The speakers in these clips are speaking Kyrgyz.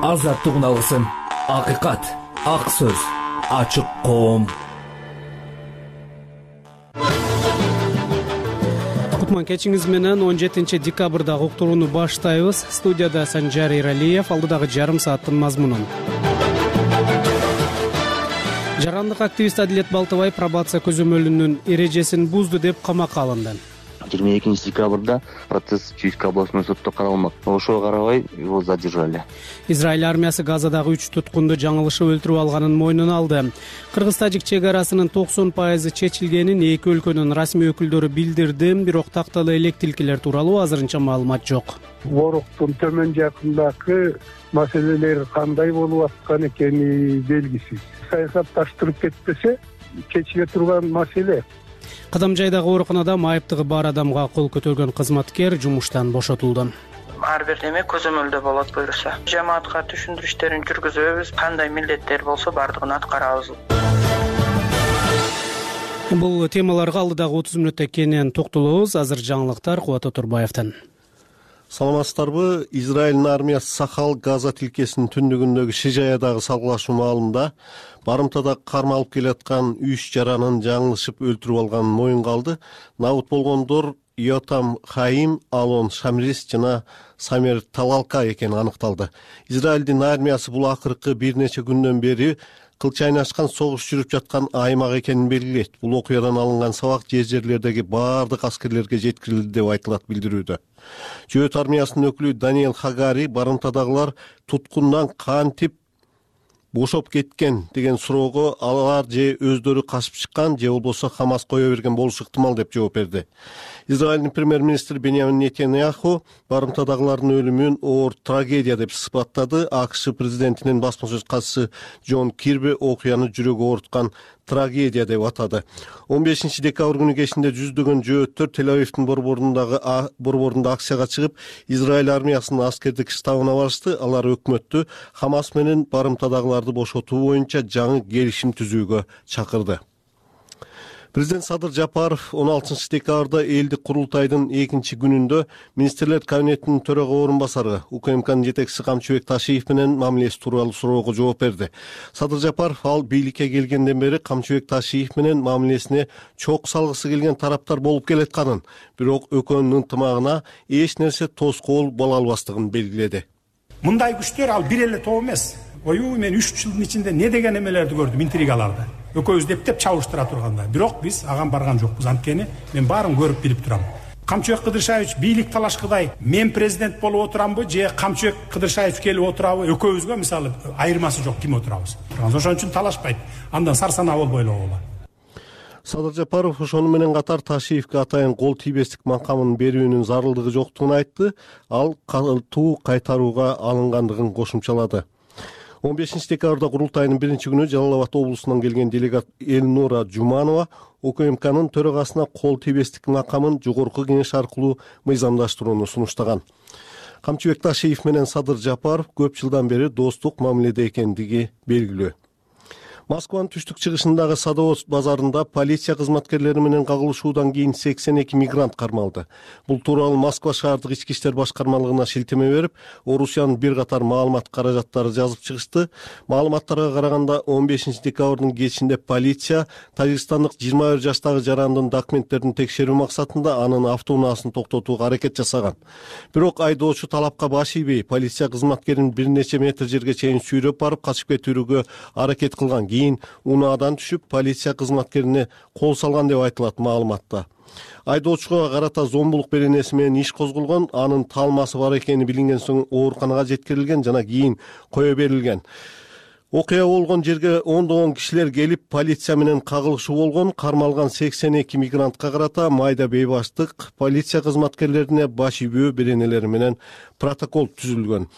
Азаттыгын алгысың. Акыйкат, ак сөз, ачык коом. Кутман кечиңиз менен 17 декабрдагы уктурууну баштайбыз. Студияда Санжар Иралиев, алдыдагы жарым сааттын мазмунун. Жарандык активист Адилет Балтыбай пробация көзөмөлүнүн эрежесин бузду деп камакка алынды. 22 декабрда процесс Чуйская областной сотто каралмак. Ошого карабай его задержали. Израиль армиясы Газадагы 3 туткунду жаңылышып өлтүрүп алганын мойнуна алды. Кыргыз-тажик чек арасынын 90% чечилгенин эки өлкөнүн расмий өкүлдөрү билдирди, бирок такталуу элек тилкелер тууралуу азырынча маалымат жок. Воруктун төмөн жакындагы маселелер кандай болуп аткан экени белгисиз. Саясатташтырып кетпесе чечиле турган маселе. Кадамжайдагы ооруканада майыптыгы бар адамга кол көтөргөн кызматкер жумуштан бошотулду. Ар бир неме көзөмөлдө болот буюрса. Жамаатка түшүндүрүштөрүн жүргүзөбүз, кандай милдеттер болсо бардыгын аткарабыз. Бул темаларга алдыдагы 30 мүнөттө кенен токтолобуз. Азыр жаңылыктар Кубат Отурбаевден. Саламатсыздарбы? Израилдин армиясы Сахал Газа тилкесинин түндүгүндөгү Шижаядагы салгылашуу маалында барымтада кармалып келаткан 3 жаранын жаңылышып өлтүрүп алганын моюнга алды. Набыт болгондор Йотам Хаим, Алон Шамрис жана Самер Талалка экени аныкталды. Израилдин армиясы бул акыркы бир нече күндөн бери кылчайнашкан согуш жүрүп жаткан аймак экенин белгилейт. Бул окуядан алынган сабак жерлердеги баардык аскерлерге жеткирилди деп айтылат билдирүүдө. Жөөт армиясынын өкүлү Даниэл Хагари барымтадагылар туткундан кантип бошоп кеткен деген суроого алар же өздөрү качып чыккан же болбосо Хамас кое берген болушу ыктымал деп жооп берди. Израилдин премьер-министри Беньямин Нетаньяху барымтадагылардын өлүмүн оор трагедия деп сыпаттады. АКШ президентинин басма сөз катчысы Джон Кирби окуяны жүрөгү ооруткан трагедия деп атады. 15 декабрь күнү кечинде жүздөгөн жөөттөр Тель-Авивдин борборунда акцияга чыгып, Израиль армиясынын аскердик штабына барышты. Алар өкмөттү Хамас менен барымтадагыларды бошотуу боюнча жаңы келишим түзүүгө чакырды. Президент Садыр Жапаров 16 декабрда элдик курултайдын 2 күнүндө министрлер кабинетинин төрага орун басары УКМКнын жетекчиси Камчыбек Ташиев менен мамилеси тууралуу суроого жооп берди. Садыр Жапаров ал бийликке келгенден бери Камчыбек Ташиев менен мамилесине чок салгысы келген тараптар болуп келатканын, бирок экөөнүн ынтымагына эч нерсе тоскоол боло албастыгын белгиледи. Мындай күчтөр ал бир эле топ эмес. Мен 3 жылдын ичинде не деген эмелерди көрдүм, интригаларды. Экөөбүз деп чабыштыра турганда, бирок биз аган барган жокпуз. Анткени мен баарын көрүп билип турам. Камчыбек Кыдыршаевич бийлик талашкыдай мен президент болуп отурамбы же Камчыбек Кыдыршаевич келип отурабы, экөөбүзгө мисалы айырмасы жок, ким отурабыз. Ошон үчүн талашпайт. Андан сарсанаа болбой эле болот. Садыр Жапаров ошону менен катар Ташиевке атайын кол тийбестик макамын берүүнүн зарылдыгы жоктугун айтты. Ал катуу кайтарууга алынгандыгын кошумчалады. 15 декабрда курултайдын 1-күнү Жалал Абад облусунан келген делегат Элнура Жуманова УКМКнын төрагасына кол тийбестик макамын жогорку кеңеш аркылуу мыйзамдаштырууну сунуштаган. Камчыбек Ташиев менен Садыр Жапаров көп жылдан бери достук мамиледе экендиги белгилүү. Москванын түштүк-чыгышындагы Садовод базарында полиция кызматкерлери менен кагылышуудан кийин 82 мигрант кармалды. Бул тууралуу Москва шаардык ички иштер башкармалыгына шилтеме берип, Орусиянын бир катар маалымат каражаттары жазып чыгышты. Маалыматтарга караганда 15 декабрдын кечинде полиция Тажикстандык 21 жаштагы жарандын документтерин текшерүү максатында анын автоунаасын токтотууга аракет жасаган. Бирок айдоочу талапка баш ийбей, полиция кызматкерин бир нече метр жерге чейин сүйрөп барып качып кетүүгө аракет кылган. Кийин унаадан түшүп, полиция кызматкерине кол салган деп айтылат маалыматта. Айдоочуга карата зомбулук беренеси менен иш козголгон, анын талмасы бар экени билинген соң ооруканага жеткирилген жана кийин кое берилген. Окуя болгон жерге ондогон кишилер келип, полиция менен кагылышуу болгон. Кармалган 82 мигрантка карата майда бейбаштык, полиция кызматкерлерине баш ийбөө беренелери менен протокол түзүлгөн.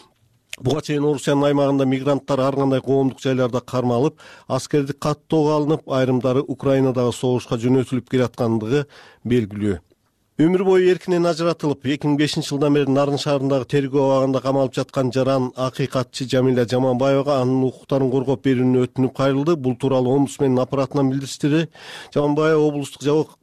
Буга чейин Орусиянын аймагында мигранттар ар кандай коомдук жайларда кармалып, аскердик каттоого алынып, айрымдары Украинадагы согушка жөнөтүлүп келаткандыгы белгилүү. Өмүр бою эркинен ажыратылып, 2005 жылдан бери Нарын шаарындагы тергөө абагында камалып жаткан жаран акыйкатчы Жамиля Жаманбаевага анын укуктарын коргоп берүүнү өтүнүп кайрылды. Бул тууралуу омбудсмендин аппаратынан билдиришти. Жаманбаева облустук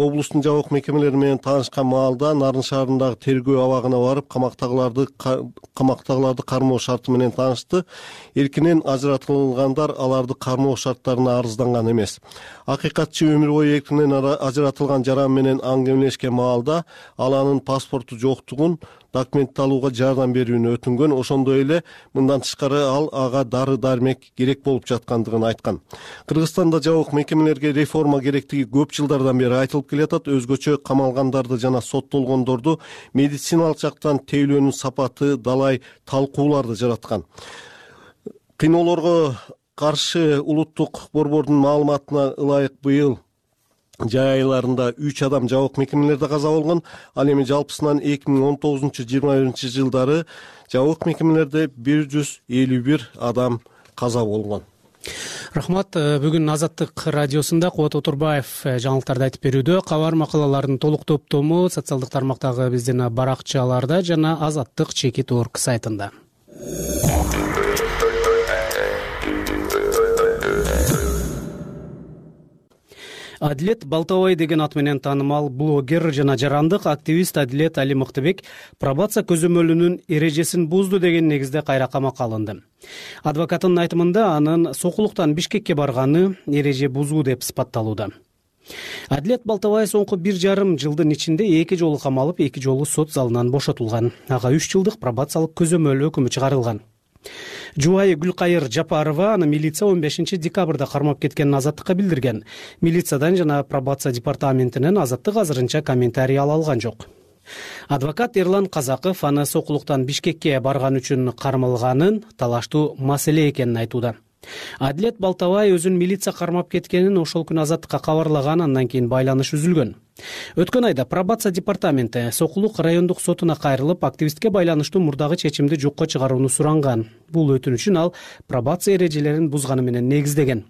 облустун жабык мекемелери менен таанышкан маалда Нарын шаарындагы тергөө абагына барып, камактагыларды кармоо шарты менен таанышты. Эркинен ажыратылгандар аларды кармоо шарттарына арызданган эмес. Акыйкатчы өмүр бою эркинен ажыратылган жаран менен аңгемелешкен маалда ал анын паспорту жоктугун, документ алууга жардам берүүнү өтүнгөн. Ошондой эле мындан тышкары ал ага дары-дармек керек болуп жаткандыгын айткан. Кыргызстанда жабык мекемелерге реформа керектиги көп жылдардан бери айтылып келатат. Өзгөчө камалгандарды жана соттолгондорду медициналык жактан тейлөөнүн сапаты далай талкууларды жараткан. Кыйноолорго каршы улуттук борбордун маалыматына ылайык быйыл жай айларында 3 адам жабык мекемелерде каза болгон. Ал эми жалпысынан 2019-21 жылдары жабык мекемелерде 151 адам каза болгон. Рахмат. Бүгүн Азаттык радиосунда Кубат Отурбаев жаңылыктарды айтып берүүдө. Кабар макалалардын толук топтому социалдык тармактагы биздин баракчаларда жана Азаттык.org сайтында. Адилет Балтабай деген ат менен таанымал блогер жана жарандык активист Адилет Али Мыктыбек пробация көзөмөлүнүн эрежесин бузду деген негизде кайра камакка алынды. Адвокаттын айтымында анын сокулуктан Бишкекке барганы эреже бузуу деп сыпатталууда. Адилет Балтабай соңку 1,5 жылдын ичинде 2 жолу камалып, 2 жолу сот залынан бошотулган. Ага 3 жылдык пробациялык көзөмөл өкүмү чыгарылган. Жубайы Гүлкайыр Жапарова аны милиция 15 декабрда кармап кеткенин Азаттыкка билдирген. Милициядан жана пробация департаментинен Азаттык азырынча комментарий ала алган жок. Адвокат Эрлан Казаков аны сокулуктан Бишкекке барган үчүн кармалганын талаштуу маселе экенин айтууда. Адилет Балтабай өзүн милиция кармап кеткенин ошол күнү Азаттыкка кабарлаган, андан кийин байланыш үзүлгөн. Өткөн айда пробация департаменти Сокулук райондук сотуна кайрылып, активистке байланыштуу мурдагы чечимди жокко чыгарууну суранган. Бул өтүнүчүн ал пробация эрежелерин бузганы менен негиздеген.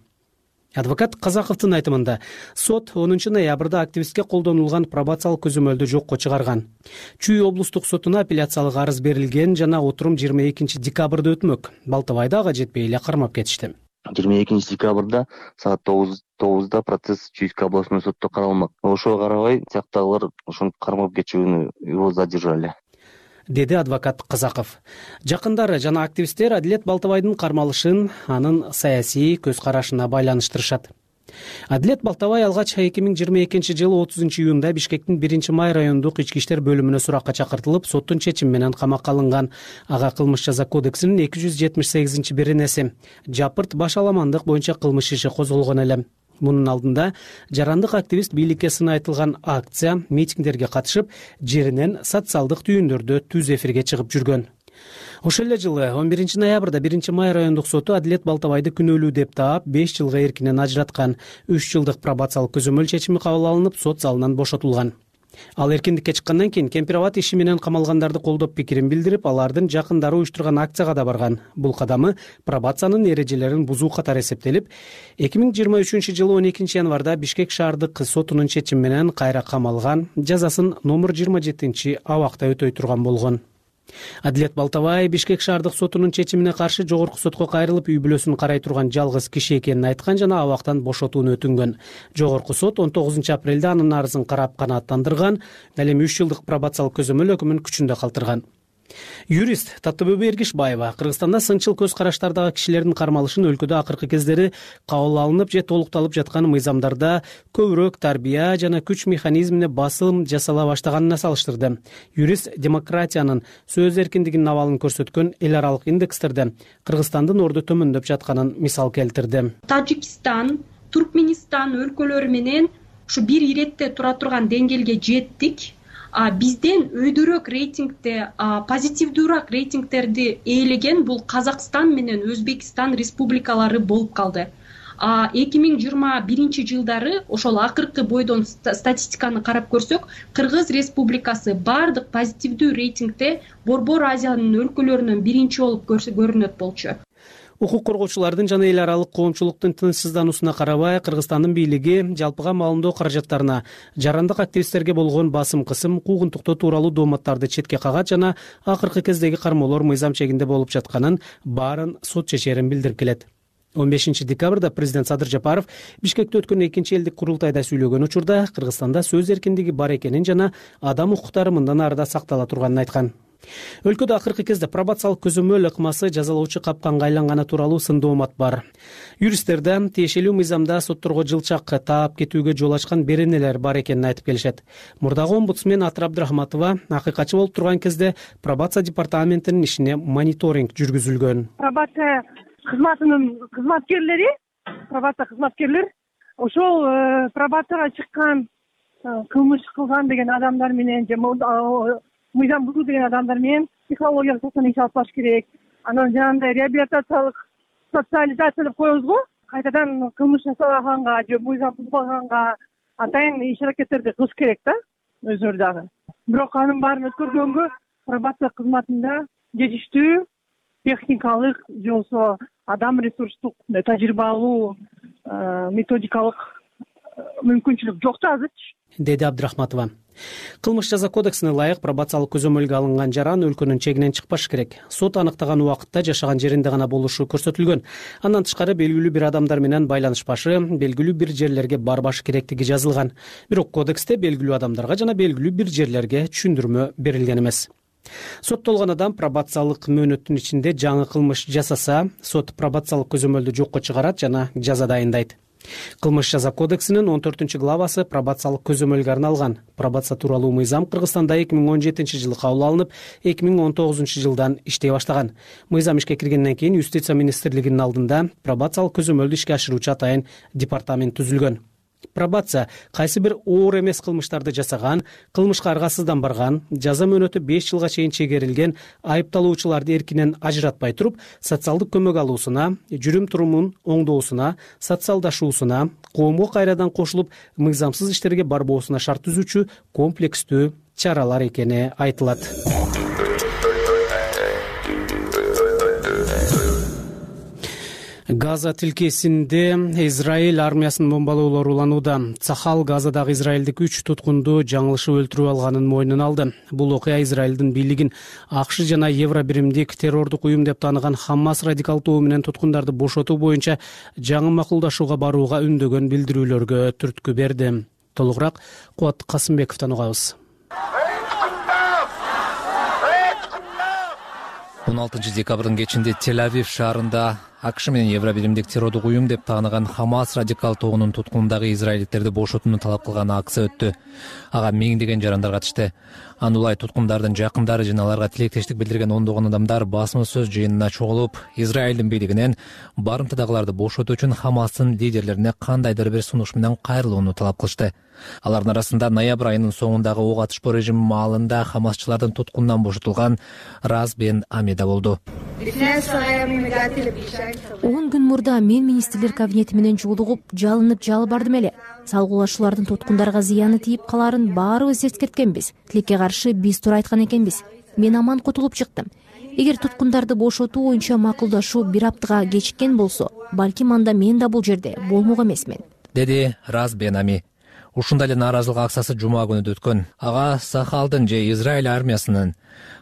Адвокат Казаковдун айтымында сот 10 ноябрда активистке колдонулган пробациялык көзөмөлдү жокко чыгарган. Чүй облустук сотуна апелляциялык арыз берилген жана отурум 22 декабрда өтмөк. Балтабайды ага жетпей эле кармап кетишти. 22 декабрда саат 9:09 процесс Чуйский областной сотто каралмак. Ошого карабай сыяктагылар ошону кармап кетүүнү его задержали, деди адвокат Казаков. Жакындары жана активисттер Адилет Балтабайдын кармалышын анын саясий көз карашына байланыштырышат. Адилет Балтабай алгач 2022 жылы 30 июнда Бишкектин 1-май райондук ички иштер бөлүмүнө суракка чакыртылып, соттун чечими менен камакка алынган. Ага кылмыш жаза кодексинин 278-беренеси жапырт баш аламандык боюнча кылмыш иши козголгон эле. Мунун алдында жарандык активист бийликке сыны айтылган акция, митингдерге катышып, жеринен социалдык түйүндөрдө түз эфирге чыгып жүргөн. Ошол эле жылы 11 ноябрда 1-май райондук соту Адилет Балтабайды күнөөлүү деп таап 5 жылга эркинен ажыраткан. 3 жылдык пробациялык көзөмөл чечими кабыл алынып, сот залынан бошотулган. Ал эркиндикке чыккандан кийин Кемпирабад иши менен камалгандарды колдоп пикирин билдирип, алардын жакындары уюштурган акцияга да барган. Бул кадамы пробациянын эрежелерин бузуу катары эсептелип, 2023 жылы 12 январда Бишкек шаардык сотунун чечими менен кайра камалган, жазасын номер 27 абакта өтөй турган болгон. Адилет Балтабай Бишкек шаардык сотунун чечимине каршы жогорку сотко кайрылып, үй бүлөсүн карай турган жалгыз киши экенин айткан жана абактан бошотууну өтүнгөн. Жогорку сот 19 апрелде анын арызын карап канааттандырган, ал эми 3 жылдык пробациялык көзөмөл өкүмүн күчүндө калтырган. Юрист Таттыбүбү Эргишбаева Кыргызстанда сынчыл көз караштардагы кишилердин кармалышын өлкөдө акыркы кездери кабыл алынып же толукталып жаткан мыйзамдарда көбүрөөк тарбия жана күч механизмине басым жасала баштаганына салыштырды. Юрист демократиянын, сөз эркиндигинин абалын көрсөткөн эл аралык индекстерде Кыргызстандын орду төмөндөп жатканын мисал келтирди. Тажикстан, Туркменистан өлкөлөрү менен ушу бир иретте тура турган деңгээлге жеттик. Бизден өйдөрөөк рейтингде, позитивдүүрөөк рейтингтерди ээлеген бул Казакстан менен Өзбекстан республикалары болуп калды. 2021 жылдары ошол акыркы бойдон статистиканы карап көрсөк, Кыргыз Республикасы бардык позитивдүү рейтингде Борбор Азиянын өлкөлөрүнөн биринчи болуп көрүнөт болчу. Укук коргоочулардын жана эл аралык коомчулуктун тынчсыздануусуна карабай, Кыргызстандын бийлиги жалпыга маалымдоо каражаттарына жарандык активисттерге болгон басым кысым, куугунтуктоо тууралуу дооматтарды четке кагат жана акыркы кездеги кармоолор мыйзам чегинде болуп жатканын, баарын сот чечерин билдирип келет. 15 декабрда президент Садыр Жапаров Бишкекте өткөн 2-элдик курултайда сүйлөгөн учурда Кыргызстанда сөз эркиндиги бар экенин жана адам укуктары мындан ары да сактала турганын айткан. Өлкөдө акыркы кезде пробациялык көзөмөл ыкмасы жазалоочу капканга айланганы тууралуу сын доомат бар. Юристтерде тиешелүү мыйзамда сотторго жылчак таап кетүүгө жол ачкан беренелер бар экенин айтып келишет. Мурдагы омбудсмен Атыр Абдрахматова акыйкатчы болуп турган кезде пробация департаментинин ишине мониторинг жүргүзүлгөн. Пробация кызматынын кызматкерлер ошол пробацияга чыккан кылмыш кылган деген адамдар менен же мыйзам бузуу деген адамдар менен психологиялык токтом иш алып барыш керек. Анан жанагындай реабилитациялык социализация деп коебуз го. Кайтадан кылмыш жасабаганга же мыйзам бузбаганга атайын иш аракеттерди кылыш керек да өзүлөрү дагы. Бирок анын баарын өткөргөнгө пробация кызматында жетиштүү техникалык же болбосо адам ресурстук тажрыйбалуу методикалык мүмкүнчүлүк жок да азырчы, деди Абдрахматова. Кылмыш жаза кодексине ылайык пробациялык көзөмөлгө алынган жаран өлкөнүн чегинен чыкпаш керек. Сот аныктаган убакытта жашаган жеринде гана болушу көрсөтүлгөн. Андан тышкары белгилүү бир адамдар менен байланышпашы, белгилүү бир жерлерге барбашы керектиги жазылган. Бирок кодексте белгилүү адамдарга жана белгилүү бир жерлерге түшүндүрмө берилген эмес. Соттолгон адам пробациялык мөөнөттүн ичинде жаңы кылмыш жасаса, сот пробациялык көзөмөлдү жокко чыгарат жана жаза дайындайт. Кылмыш жаза кодексинин 14-главасы пробациялык көзөмөлгө арналган. Пробация тууралуу мыйзам Кыргызстанда 2017-жылы кабыл алынып, 2019-жылдан иштей баштаган. Мыйзам ишке киргенден кийин Юстиция министрлигинин алдында пробациялык көзөмөлдү ишке ашыруучу атайын департамент түзүлгөн. Пробация кайсы бир оор эмес кылмыштарды жасаган, кылмышка аргасыздан барган, жаза мөөнөтү 5 жылга чейин чегерилген айыпталуучуларды эркинен ажыратпай туруп, социалдык көмөк алуусуна, жүрүм-турумун оңдоосуна, социалдашуусуна, коомго кайрадан кошулуп, мыйзамсыз иштерге барбоосуна шарт түзүүчү комплекстүү чаралар экени айтылат. Газа тилкесинде Израиль армиясынын бомбалоолору уланууда. Цахал Газадагы израилдик 3 туткунду жаңылышып өлтүрүп алганын мойнуна алды. Бул окуя Израилдин бийлигин АКШ жана Евро биримдик террордук уюм деп тааныган Хамас радикал тобу менен туткундарды бошотуу боюнча жаңы макулдашууга барууга үндөгөн билдирүүлөргө түрткү берди. Толугураак Кубат Касымбековдон угабыз. 16 декабрдын кечинде Тель-Авив шаарында АКШ менен Евро биримдик террордук уюм деп тааныган Хамас радикал тобунун туткунундагы израилдиктерди бошотууну талап кылган акция өттү. Ага миңдеген жарандар катышты. Анулай туткундардын жакындары жана аларга тилектештик билдирген ондогон адамдар басма сөз жыйынына чогулуп, Израилдин бийлигинен барымтадагыларды бошотуу үчүн Хамастын лидерлерине кандайдыр бир сунуш менен кайрылууну талап кылышты. Алардын арасында ноябрь айынын соңундагы ок атышпоо режими маалында Хамасчылардын туткунунан бошотулган Раз бен Ами да болду. 10 күн мурда мен министрлер кабинети менен жолугуп, жалынып жалбардым эле. Салгылашуулардын туткундарга зыяны тийип каларын баарыбыз эскерткенбиз. Тилекке каршы биз туура айткан экенбиз. Мен аман кутулуп чыктым. Эгер туткундарды бошотуу боюнча макулдашуу бир аптага кечиккен болсо, балким анда мен да бул жерде болмок эмесмин, деди Раз бен Ами. Ушундай эле нааразылык акциясы жума күнү өткөн. Ага Сахалдын же Израиль армиясынын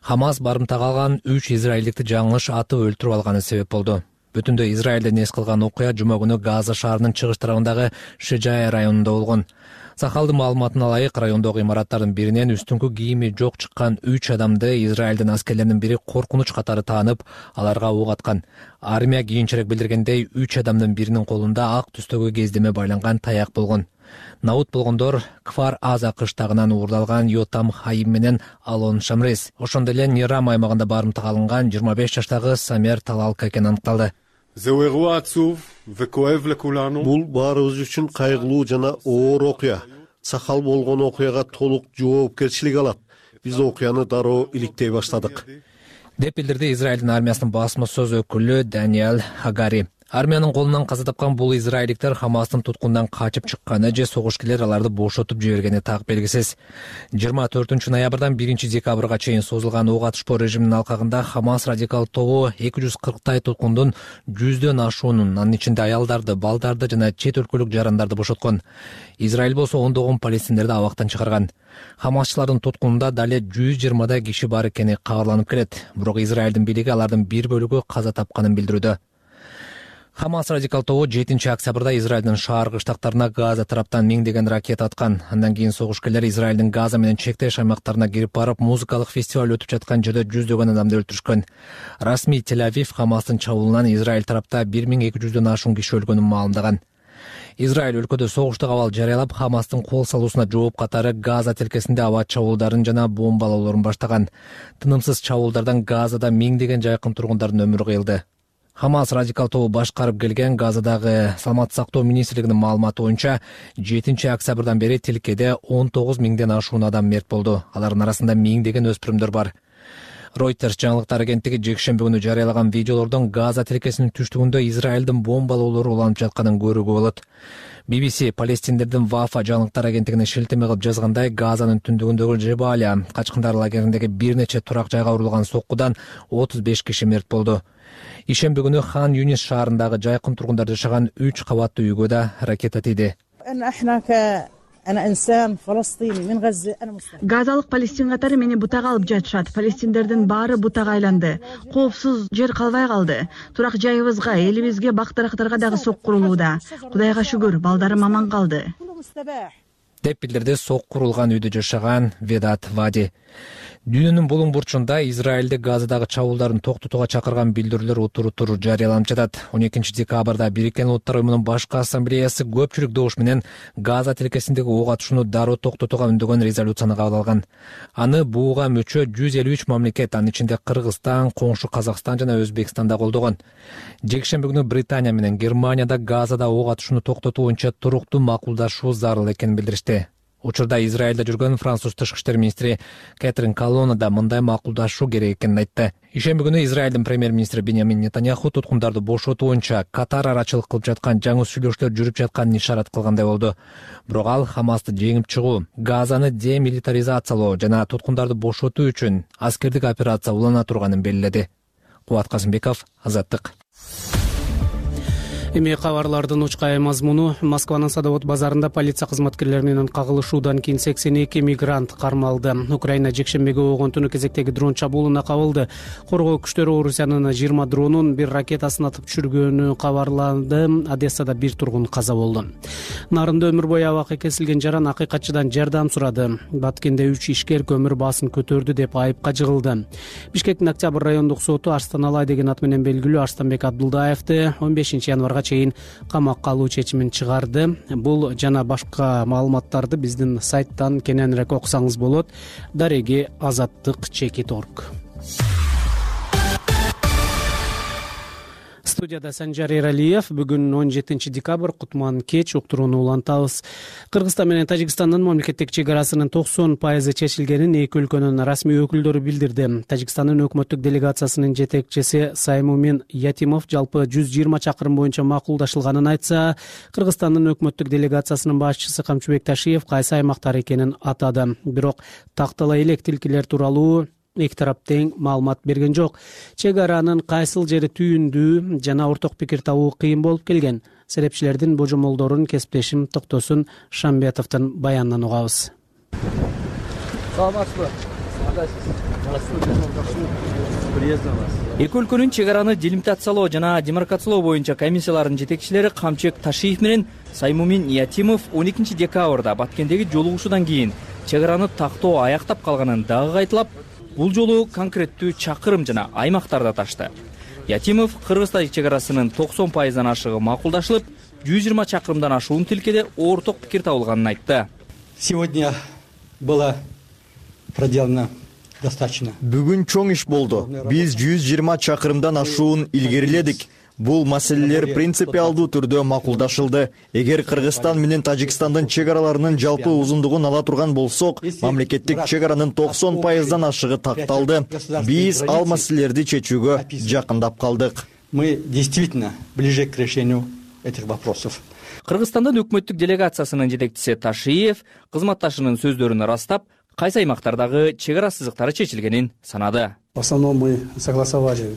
Хамас барымтага алган 3 израилдикти жаңылыш атып өлтүрүп алганы себеп болду. Бүтүндөй Израилден эс кылган окуя жума күнү Газа шаарынын чыгыш тарабындагы Шижая районунда болгон. Сахалдын маалыматына ылайык, райондогу имараттардын биринен үстүңкү кийими жок чыккан 3 адамды Израилдин аскерлеринин бири коркунуч катары таанып, аларга ок аткан. Армия кийинчерээк билдиргендей, 3 адамдын биринин колунда ак түстөгү кездеме байланган таяк болгон. Наут болгондор Кфар Аза кыштагынан уурдалган Йотам Хаим менен Алон Шамрес. Ошондой эле Нирам аймагында барымтага алынган 25 жаштагы Самер Талалка экени аныкталды. Бул баарыбыз үчүн кайгылуу жана оор окуя. Сахал болгон окуяга толук жоопкерчилик алат. Биз окуяны дароо иликтей баштадык, деп билдирди Израилдин армиясынын басма сөз өкүлү Даниэль Хагари. Армиянын колунан каза тапкан бул израилдиктер Хамастын туткунунан качып чыкканы же согушкерлер аларды бошотуп жибергени так белгисиз. 24 ноябрдан 1 декабрга чейин созулган ок атышпоо режиминин алкагында Хамас радикал тобу 240 туткундун 100дөн ашуунун, анын ичинде аялдарды, балдарды жана чет өлкөлүк жарандарды бошоткон. Израиль болсо ондогон палестиндерди абактан чыгарган. Хамасчылардын туткунунда дале 120 киши бар экени кабарланып келет. Бирок Израилдин бийлиги алардын бир бөлүгү каза тапканын билдирүүдө. Хамас радикал тобу 7-октябрда Израилдин шаар кыштактарына Газа тараптан миңдеген ракета аткан. Андан кийин согушкерлер Израилдин Газа менен чектеш аймактарына кирип барып, музыкалык фестиваль өтүп жаткан жерде жүздөгөн адамды өлтүрүшкөн. Расмий Тель-Авив Хамастын чабуулунан Израиль тарапта 1200дөн ашуун киши өлгөнүн маалымдаган. Израиль өлкөдө согуштук абал жарыялап, Хамастын кол салуусуна жооп катары Газа тилкесинде аба чабуулдарын жана бомбалоолорун баштаган. Тынымсыз чабуулдардан Газада миңдеген жайкын тургундардын өмүрү кыйылды. Хамас радикал тобу башкарып келген Газадагы саламаттык сактоо министрлигинин маалыматы боюнча 7-октябрдан бери тилкеде 19 миңден ашуун адам мерт болду. Алардын арасында миңдеген өспүрүмдөр бар. Reuters жаңылыктар агенттиги жекшемби күнү жарыялаган видеолордон Газа тилкесинин түштүгүндө Израилдин бомбалоолору уланып жатканын көрүүгө болот. BBC палестиндердин Вафа жаңылыктар агенттигине шилтеме кылып жазгандай, Газанын түндүгүндөгү Жебалия качкындар лагериндеги бир нече турак жайга урулган соккудан 35 киши мерт болду. Ишемби күнү Хан Юнис шаарындагы жайкын тургундар жашаган 3 кабаттуу үйгө да ракета тийди. Газалык палестин катары мени бутага алып жатышат. Палестиндердин баары бутага айланды. Коопсуз жер калбай калды. Турак жайыбызга, элибизге, бак-дарактарга дагы сок курулууда. Кудайга шүгүр, балдарым аман калды. Деп билдирди сок курулган үйдө жашаган Ведат Вади. Дүйнөнүн булуң бурчунда Израилде Газадагы чабуулдарын токтотууга чакырган билдирүүлөр утур жарыяланып жатат. 12 декабрда Бириккен Улуттар уюмунун башкы ассамблеясы көпчүлүк добуш менен Газа тилкесиндеги ок атышууну дароо токтотууга үндөгөн резолюцияны кабыл алган. Аны буга мүчө 153 мамлекет, анын ичинде Кыргызстан, коңшу Казакстан жана Өзбекстан да колдогон. Жекшемби күнү Британия менен Германияда Газада ок атышууну токтотуу боюнча туруктуу макулдашуу зарыл экенин билдиришти. Учурда Израилде жүргөн француз тышкы иштер министри Кэтрин Колонна да мындай макулдашуу керек экенин айтты. Ишемби күнү Израилдин премьер-министри Беньямин Нетаньяху туткундарды бошотуу боюнча Катар арачылык кылып жаткан жаңы сүйлөшүүлөр жүрүп жатканын ишарат кылгандай болду. Бирок ал Хамасты жеңип чыгуу, Газаны демилитаризациялоо жана туткундарды бошотуу үчүн аскердик операция улана турганын белгиледи. Кубат Казымбеков, Азаттык. Эми кабарлардын учкай мазмуну. Москванын Садовод базарында полиция кызматкерлери менен кагылышуудан кийин 82 мигрант кармалды. Украина жекшембиге болгон түнү кезектеги дрон чабуулуна кабылды. Коргоо күчтөрү Орусиянын 20 дронун бир ракетасын атып түшүргөнү кабарланды. Одессада бир тургун каза болду. Нарында өмүр бою абакка кесилген жаран акыйкатчыдан жардам сурады. Баткенде 3 ишкер көмүр баасын көтөрдү деп айыпка жыгылды. Бишкектин Октябрь райондук соту Арстаналай деген ат менен белгилүү Арстанбек Абдулдаевди 15 январга чейин камакка алуу чечимин чыгарды. Бул жана башка маалыматтарды биздин сайттан кененирээк окусаңыз болот. Дареги Азаттык.org. Студияда Санжар Эралиев. Бүгүн 17 декабрь, кутман кеч, уктурууну улантабыз. Кыргызстан менен Тажикстандын мамлекеттик чек арасынын 90% чечилгенин эки өлкөнүн расмий өкүлдөрү билдирди. Тажикстандын өкмөттүк делегациясынын жетекчиси Саймумин Ятимов жалпы 120 чакырым боюнча макулдашылганын айтса, Кыргызстандын өкмөттүк делегациясынын башчысы Камчыбек Ташиев кайсы аймактар экенин атады. Бирок тактала элек тилкилер тууралуу эки тарап тең маалымат берген жок. Чек аранын кайсыл жери түйүндүү жана орток пикир табуу кыйын болуп келген. Серепчилердин божомолдорун кесиптешим Токтосун Шамбетовдун баянынан угабыз. Саламатсызбы? Эки өлкөнүн чек араны делимитациялоо жана демаркациялоо боюнча комиссияларынын жетекчилери Камчыбек Ташиев менен Саймумин Ятимов 12 декабрда Баткендеги жолугушуудан кийин чек араны тактоо аяктап калганын дагы кайталап, бул жолу конкреттүү чакырым жана аймактарды аташты. Ятимов Кыргыз-Тажик чек арасынын 90%дан ашыгы макулдашылып, 120 чакырымдан ашуун тилкеде орток пикир табылганын айтты. Сегодня было проделано достаточно. Бүгүн чоң иш болду. Биз 120 чакырымдан ашуун илгериледик. Бул маселелер принципиалдуу түрдө макулдашылды. Эгер Кыргызстан менен Тажикстандын чек араларынын жалпы узундугун ала турган болсок, мамлекеттик чек аранын 90%дан ашыгы такталды. Биз ал маселелерди чечүүгө жакындап калдык. Мы действительно ближе к решению этих вопросов. Кыргызстандын өкмөттүк делегациясынын жетекчиси Ташиев кызматташынын сөздөрүн ырастап, кайсы аймактардагы чек ара сызыктары чечилгенин санады. В основном мы согласовали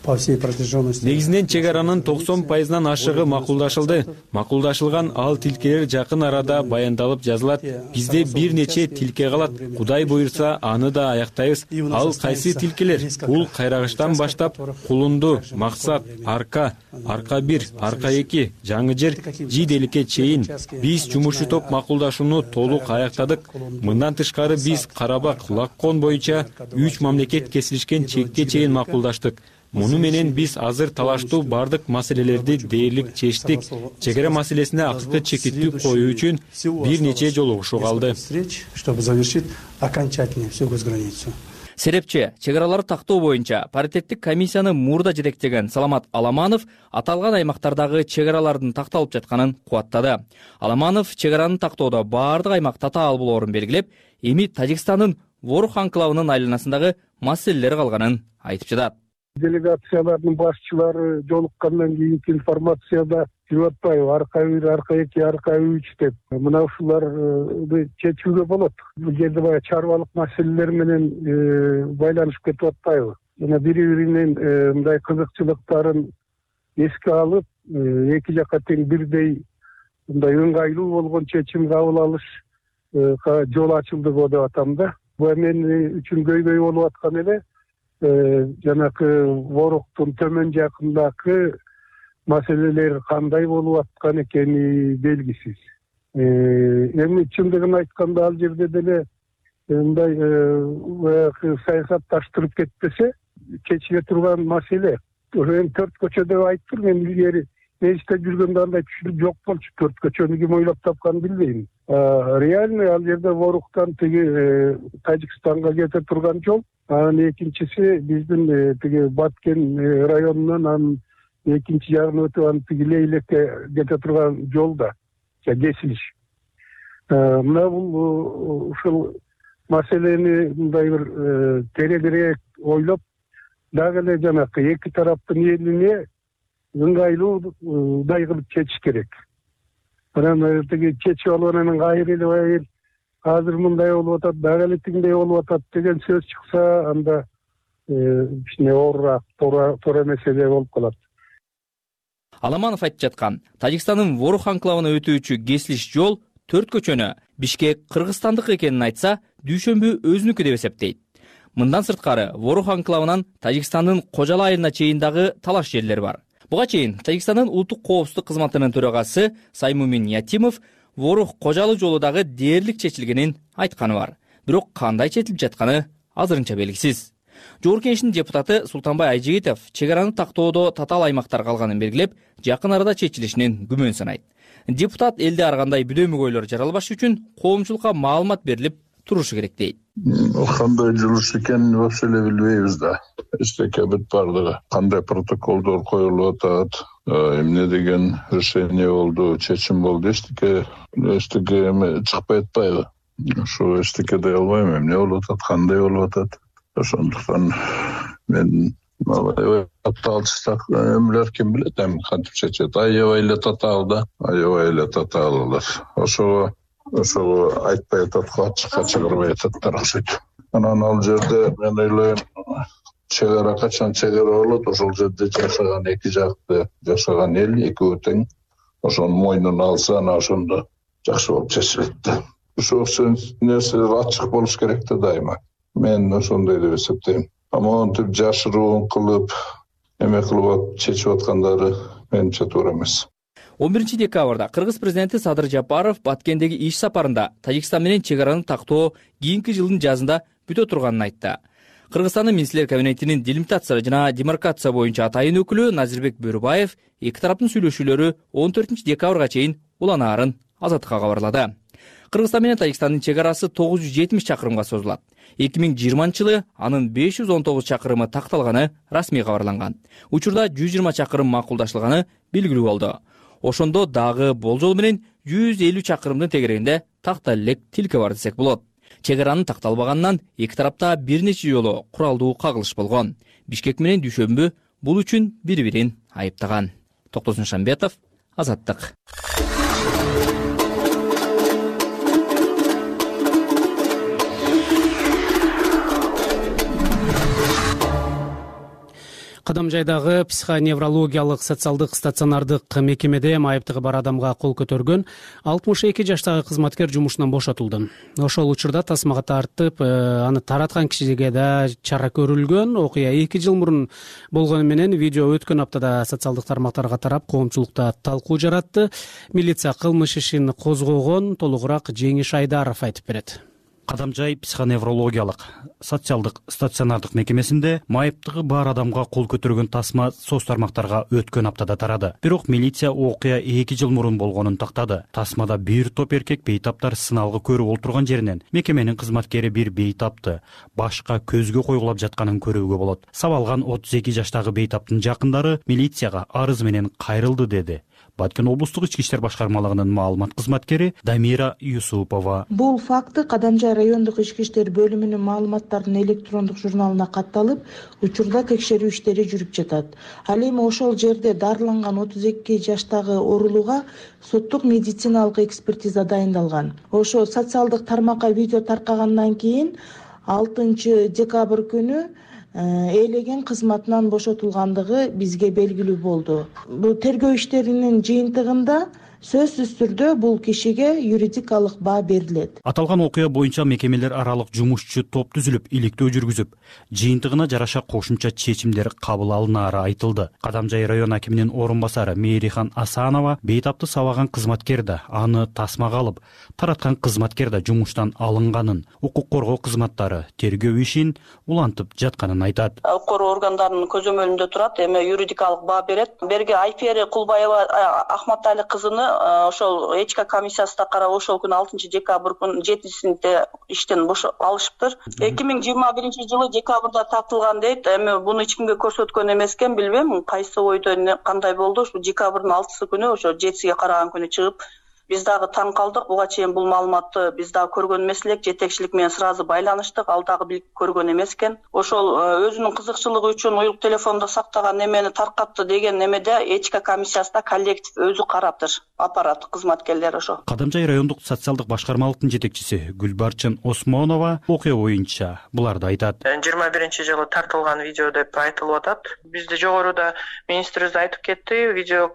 по всей протяженности. Негизинен чек аранын 90% ашыгы макулдашылды. Макулдашылган ал тилкелер жакын арада баяндалып жазылат. Бизде бир нече тилке калат. Кудай буйрса, аны да аяктайбыз. Ал кайсы тилкелер? Бул кайрагычтан баштап Кулунду, Максат, Арка, Арка 1, Арка 2, Жаңы жер, Жиделикке чейин биз жумушчу топ макулдашууну толук аяктадык. Мындан тышкары биз Карабак, Лаккон боюнча 3 мамлекет кесилишкен чекке чейин макулдаштык. Муну менен биз азыр талаштуу бардык маселелерди дээрлик чечтик. Чек ара маселесине акыркы чекиттүү коюу үчүн бир нече жолугушуу калды. Чтобы завершить окончательно всю госграницу. Серепчи чек араларды тактоо боюнча паритеттик комиссияны мурда жетектеген Саламат Аламанов аталган аймактардагы чек аралардын такталып жатканын кубаттады. Аламанов чек араны тактоодо бардык аймак татаал болоорун белгилеп, эми Тажикстандын Ворух анклавынын айланасындагы маселелер калганын айтып жатат. Делегациялардын башчылары жолуккандан кийинки информацияда жүрүп атпайбы, Арка 1, Арка 2, Арка 3 деп. Мына ушуларды чечүүгө болот. Бул жерде баягы чарбалык маселелер менен байланышып кетип атпайбы. Жана бири-биринин мындай кызыкчылыктарын эске алып, эки жакка тең бирдей мындай ыңгайлуу болгон чечим кабыл алыш жол ачылды го деп атам да. Бул мен үчүн көйгөй болуп аткан эле жанакы Воруктун төмөн жакындагы маселелер кандай болуп аткан экени белгисиз. Эми чындыгын айтканда ал жерде деле мындай саясатташтырып кетпесе чечиле турган маселе. Эми 4 көчө деп айттым, мен илгери мейисте жүргөндө андай түшүнүк жок болчу. 4 көчөнү ким ойлоп тапканын билбейм. Реально ал жерде Воруктан тиги Тажикстанга кете турган жол. Анын экинчиси биздин тиги Баткен районунан анын экинчи жагын өтүп анын тиги Лейлекке кете турган жолда кесилиш. Мына бул ушул маселени мындай бир тереңирээк ойлоп, дагы эле жанакы эки тараптын элине ыңгайлуудай кылып чечиш керек. Анан тиги чечип алып анан кайра эле азыр мындай болуп атат, дагы эле тигиндей болуп атат деген сөз чыкса, анда кичине оорураак, туура маселе болуп калат. Аламанов айтып жаткан Тажикстандын Ворух анклавына өтүүчү кесилиш жол 4 көчөнү Бишкек кыргызстандык экенин айтса, Дүйшөмбү өзүнүкү деп эсептейт. Мындан сырткары Ворух анклавынан Тажикстандын Кожалы айылына чейин дагы талаш жерлер бар. Буга чейин Тажикстандын улуттук коопсуздук кызматынын төрагасы Саймумин Ятимов Ворух Кожалы жолу дагы дээрлик чечилгенин айтканы бар. Бирок кандай чечилип жатканы азырынча белгисиз. Жогорку Кеңештин депутаты Султанбай Айжигитов чек араны тактоодо татаал аймактар калганын белгилеп, жакын арада чечилишинин күмөн санайт. Депутат элде ар кандай бүдөмөгөйлөр жаралбаш үчүн коомчулукка маалымат берилип турушу керек дейт. Кандай жылыш экенин вообще эле билбейбиз да. Эчтеке бүт бардыгы. Кандай протоколдор коюлуп атат, эмне деген решение болду, чечим болду, эчтеке чыкпай атпайбы. Ошо эчтеке дей албайм, эмне болуп атат, кандай болуп атат. Ошондуктан мен татаалчылык эмелер ким билет, эми кантип чечет. Аябай эле татаал да, аябай эле татаал алар. Ошого айтпай атат, ачыкка чыгарбай ататтар окшойт. Анан ал жерде мен ойлойм, чек ара качан чек ара болот, ошол жерде жашаган эки жакты жашаган эл экөө тең ошонун мойнуна алса, анан ошондо жакшы болуп чечилет да. Ошол нерселер ачык болуш керек да дайыма. Мен ошондой деп эсептейм. Монтип жашыруун кылып, эме кылып чечип аткандары менимче туура эмес. 11 декабрда Кыргыз президенти Садыр Жапаров Баткендеги иш сапарында Тажикстан менен чек араны тактоо кийинки жылдын жазында бүтө турганын айтты. Кыргызстандын министрлер кабинетинин делимитация жана демаркация боюнча атайын өкүлү Назирбек Бөрүбаев эки тараптын сүйлөшүүлөрү 14 декабрга чейин уланаарын Азаттыкка кабарлады. Кыргызстан менен Тажикстандын чек арасы 970 чакырымга созулат. 2020-жылы анын 519 чакырымы такталганы расмий кабарланган. Учурда 120 чакырым макулдашылганы белгилүү болду. Ошондо дагы болжол менен 150 чакырымдын тегерегинде такта элек тилке бар десек болот. Чек аранын такталбаганынан эки тарапта бир нече жолу куралдуу кагылыш болгон. Бишкек менен Дүйшөмбү бул үчүн бири-бирин айыптаган. Токтосун Шамбетов, Азаттык. Кадамжайдагы психоневрологиялык социалдык стационардык мекемеде майыптыгы бар адамга кол көтөргөн 62 жаштагы кызматкер жумушунан бошотулду. Ошол учурда тасмага тартып, аны тараткан кишиге да чара көрүлгөн. Окуя 2 жыл мурун болгону менен видео өткөн аптада социалдык тармактарга тарап коомчулукта талкуу жаратты. Милиция кылмыш ишин козгогон. Толугураак Жеңиш Айдаров айтып берет. Кадамжай психоневрологиялык социалдык стационардык мекемесинде майыптыгы бар адамга кол көтөргөн тасма соц тармактарга өткөн аптада тарады. Бирок милиция окуя 2 жыл мурун болгонун тактады. Тасмада бир топ эркек бейтаптар сыналгы көрүп олтурган жеринен мекеменин кызматкери бир бейтапты башка көзгө койгулап жатканын көрүүгө болот. Сабалган 32 жаштагы бейтаптын жакындары милицияга арыз менен кайрылды деди. Баткен облустук ички иштер башкармалыгынын маалымат кызматкери Дамира Юсупова. Бул факты Кадамжай райондук ички иштер бөлүмүнүн маалыматтардын электрондук журналына катталып, учурда текшерүү иштери жүрүп жатат. Ал эми ошол жерде дарыланган 32 жаштагы оорулууга соттук медициналык экспертиза дайындалган. Ошо социалдык тармакка видео таркагандан кийин 6 декабрь күнү ээлеген кызматынан бошотулгандыгы бизге белгилүү болду. Бул тергөө иштеринин жыйынтыгында сөзсүз түрдө бул кишиге юридикалык баа берилет. Аталган окуя боюнча мекемелер аралык жумушчу топ түзүлүп, иликтөө жүргүзүп, жыйынтыгына жараша кошумча чечимдер кабыл алынаары айтылды. Кадамжай район акиминин орун басары Мейрихан Асанова бейтапты сабаган кызматкер да, аны тасмага алып, тараткан кызматкер да жумуштан алынганын, укук коргоо кызматтары тергөө ишин улантып жатканын айтат. Укук коргоо органдарынын көзөмөлүндө турат, эми юридикалык баа берет. Берге Айпери Кулбаева Ахматали кызыны ошол этика комиссиясында карап ошол күнү 6 декабрь күнү 7-синде иштен алышыптыр. 2021 жылы декабрда тартылган дейт. Эми буну эч кимге көрсөткөн эмес экен, билбейм кайсы ойдо кандай болду. Ушу декабрдын 6 күнү ошо 7-сиге караган күнү чыгып, биз дагы таң калдык. Буга чейин бул маалыматты биз дагы көргөн эмес элек. Жетекчилик менен сразу байланыштык. Ал дагы билип көргөн эмес экен. Ошол өзүнүн кызыкчылыгы үчүн уюлук телефондо сактаган эмени таркатты деген эмеде этика комиссиясында коллектив өзү караптыр. Аппарат кызматкерлери ошо. Кадамжай райондук социалдык башкармалыктын жетекчиси Гүлбарчын Осмонова окуя боюнча буларды айтат. 21-жылы тартылган видео деп айтылып атат. Бизде жогоруда министрибиз айтып кетти, видео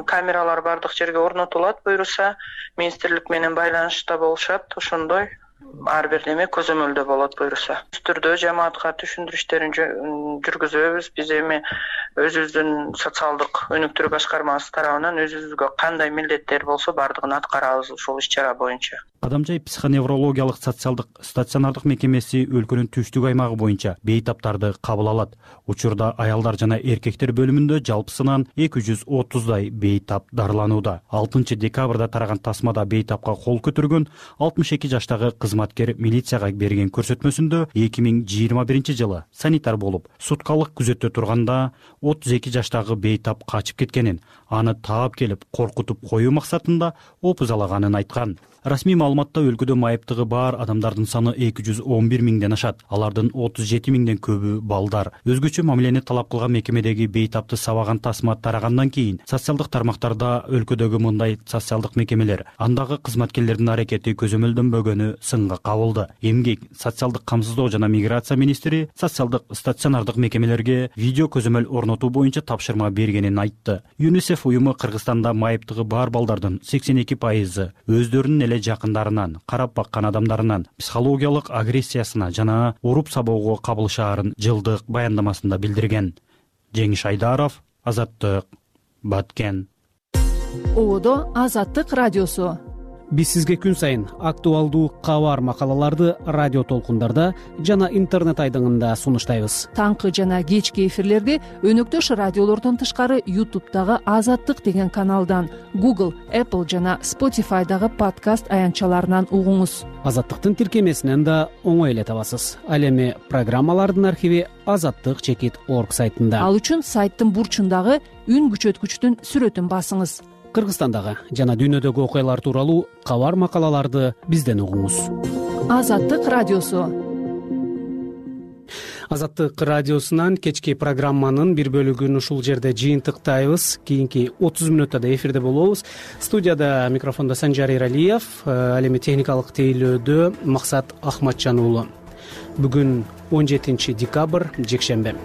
камералар бардык жерге орнотулат буйруса, министрлик менен байланышта болушат, ошондой ар бир неме көзөмөлдө болот буйруса. Түрдө жамаатка түшүндүрүү иштерин жүргүзөбүз. Биз эми өзүбүздүн социалдык өнүктүрүү башкармасы тарабынан өзүбүзгө кандай милдеттер болсо бардыгын аткарабыз ушул иш-чара боюнча. Кадамжай психоневрологиялык социалдык стационардык мекемеси өлкөнүн түштүк аймагы боюнча бейтаптарды кабыл алат. Учурда аялдар жана эркектер бөлүмүндө жалпысынан 230дай бейтап дарыланууда. 6 декабрда тараган тасмада бейтапка кол көтөргөн 62 жаштагы кызматкер милицияга берген көрсөтмөсүндө 2021 жылы санитар болуп, суткалык күзөттө турганда 32 жаштагы бейтап качып кеткенин, аны таап келип коркутуп коюу максатында опузалаганын айткан. Расмий маалыматта өлкөдө майыптыгы бар адамдардын саны 211 миңден ашат. Алардын 37 миңден көбү балдар. Өзгөчө мамилени талап кылган мекемедеги бейтапты сабаган тасма тарагандан кийин социалдык тармактарда өлкөдөгү мындай социалдык мекемелер, андагы кызматкерлердин аракети көзөмөлдөнбөгөнү сынга кабылды. Эмгек, социалдык камсыздоо жана миграция министри социалдык стационардык мекемелерге видео көзөмөл орнотуу боюнча тапшырма бергенин айтты. ЮНИСЕФ уюму Кыргызстанда майыптыгы бар балдардын 82% өздөрүнүн жакындарынан, карап баккан адамдарынан психологиялык агрессиясына жана уруп сабоого кабылышаарын жылдык баяндамасында билдирген. Жеңиш Айдаров, Азаттык, Баткен. Одо Азаттык радиосу. Биз сизге күн сайын актуалдуу кабар макалаларды радио толкундарда жана интернет айдыңында сунуштайбыз. Таңкы жана кечки эфирлерди өнөктөш радиолордон тышкары YouTube'дагы Азаттык деген каналдан, Google, Apple жана Spotify'дагы подкаст аянтчаларынан угуңуз. Азаттыктын тиркемесинен да оңой эле табасыз. Ал эми программалардын архиви azattik.org сайтында. Ал үчүн сайттын бурчундагы үн күчөткүчтүн сүрөтүн басыңыз. Кыргызстандагы жана дүйнөдөгү окуялар тууралуу кабар макалаларды бизден угуңуз. Азаттык радиосу. Азаттык радиосунан кечки программанын бир бөлүгүн ушул жерде жыйынтыктайбыз. Кийинки 30 мүнөттө эфирде болобуз. Студияда микрофондо Санжар Иралиев, ал эми техникалык тейлөөдө Максат Ахматжан уулу. Бүгүн 17 декабрь, жекшембе.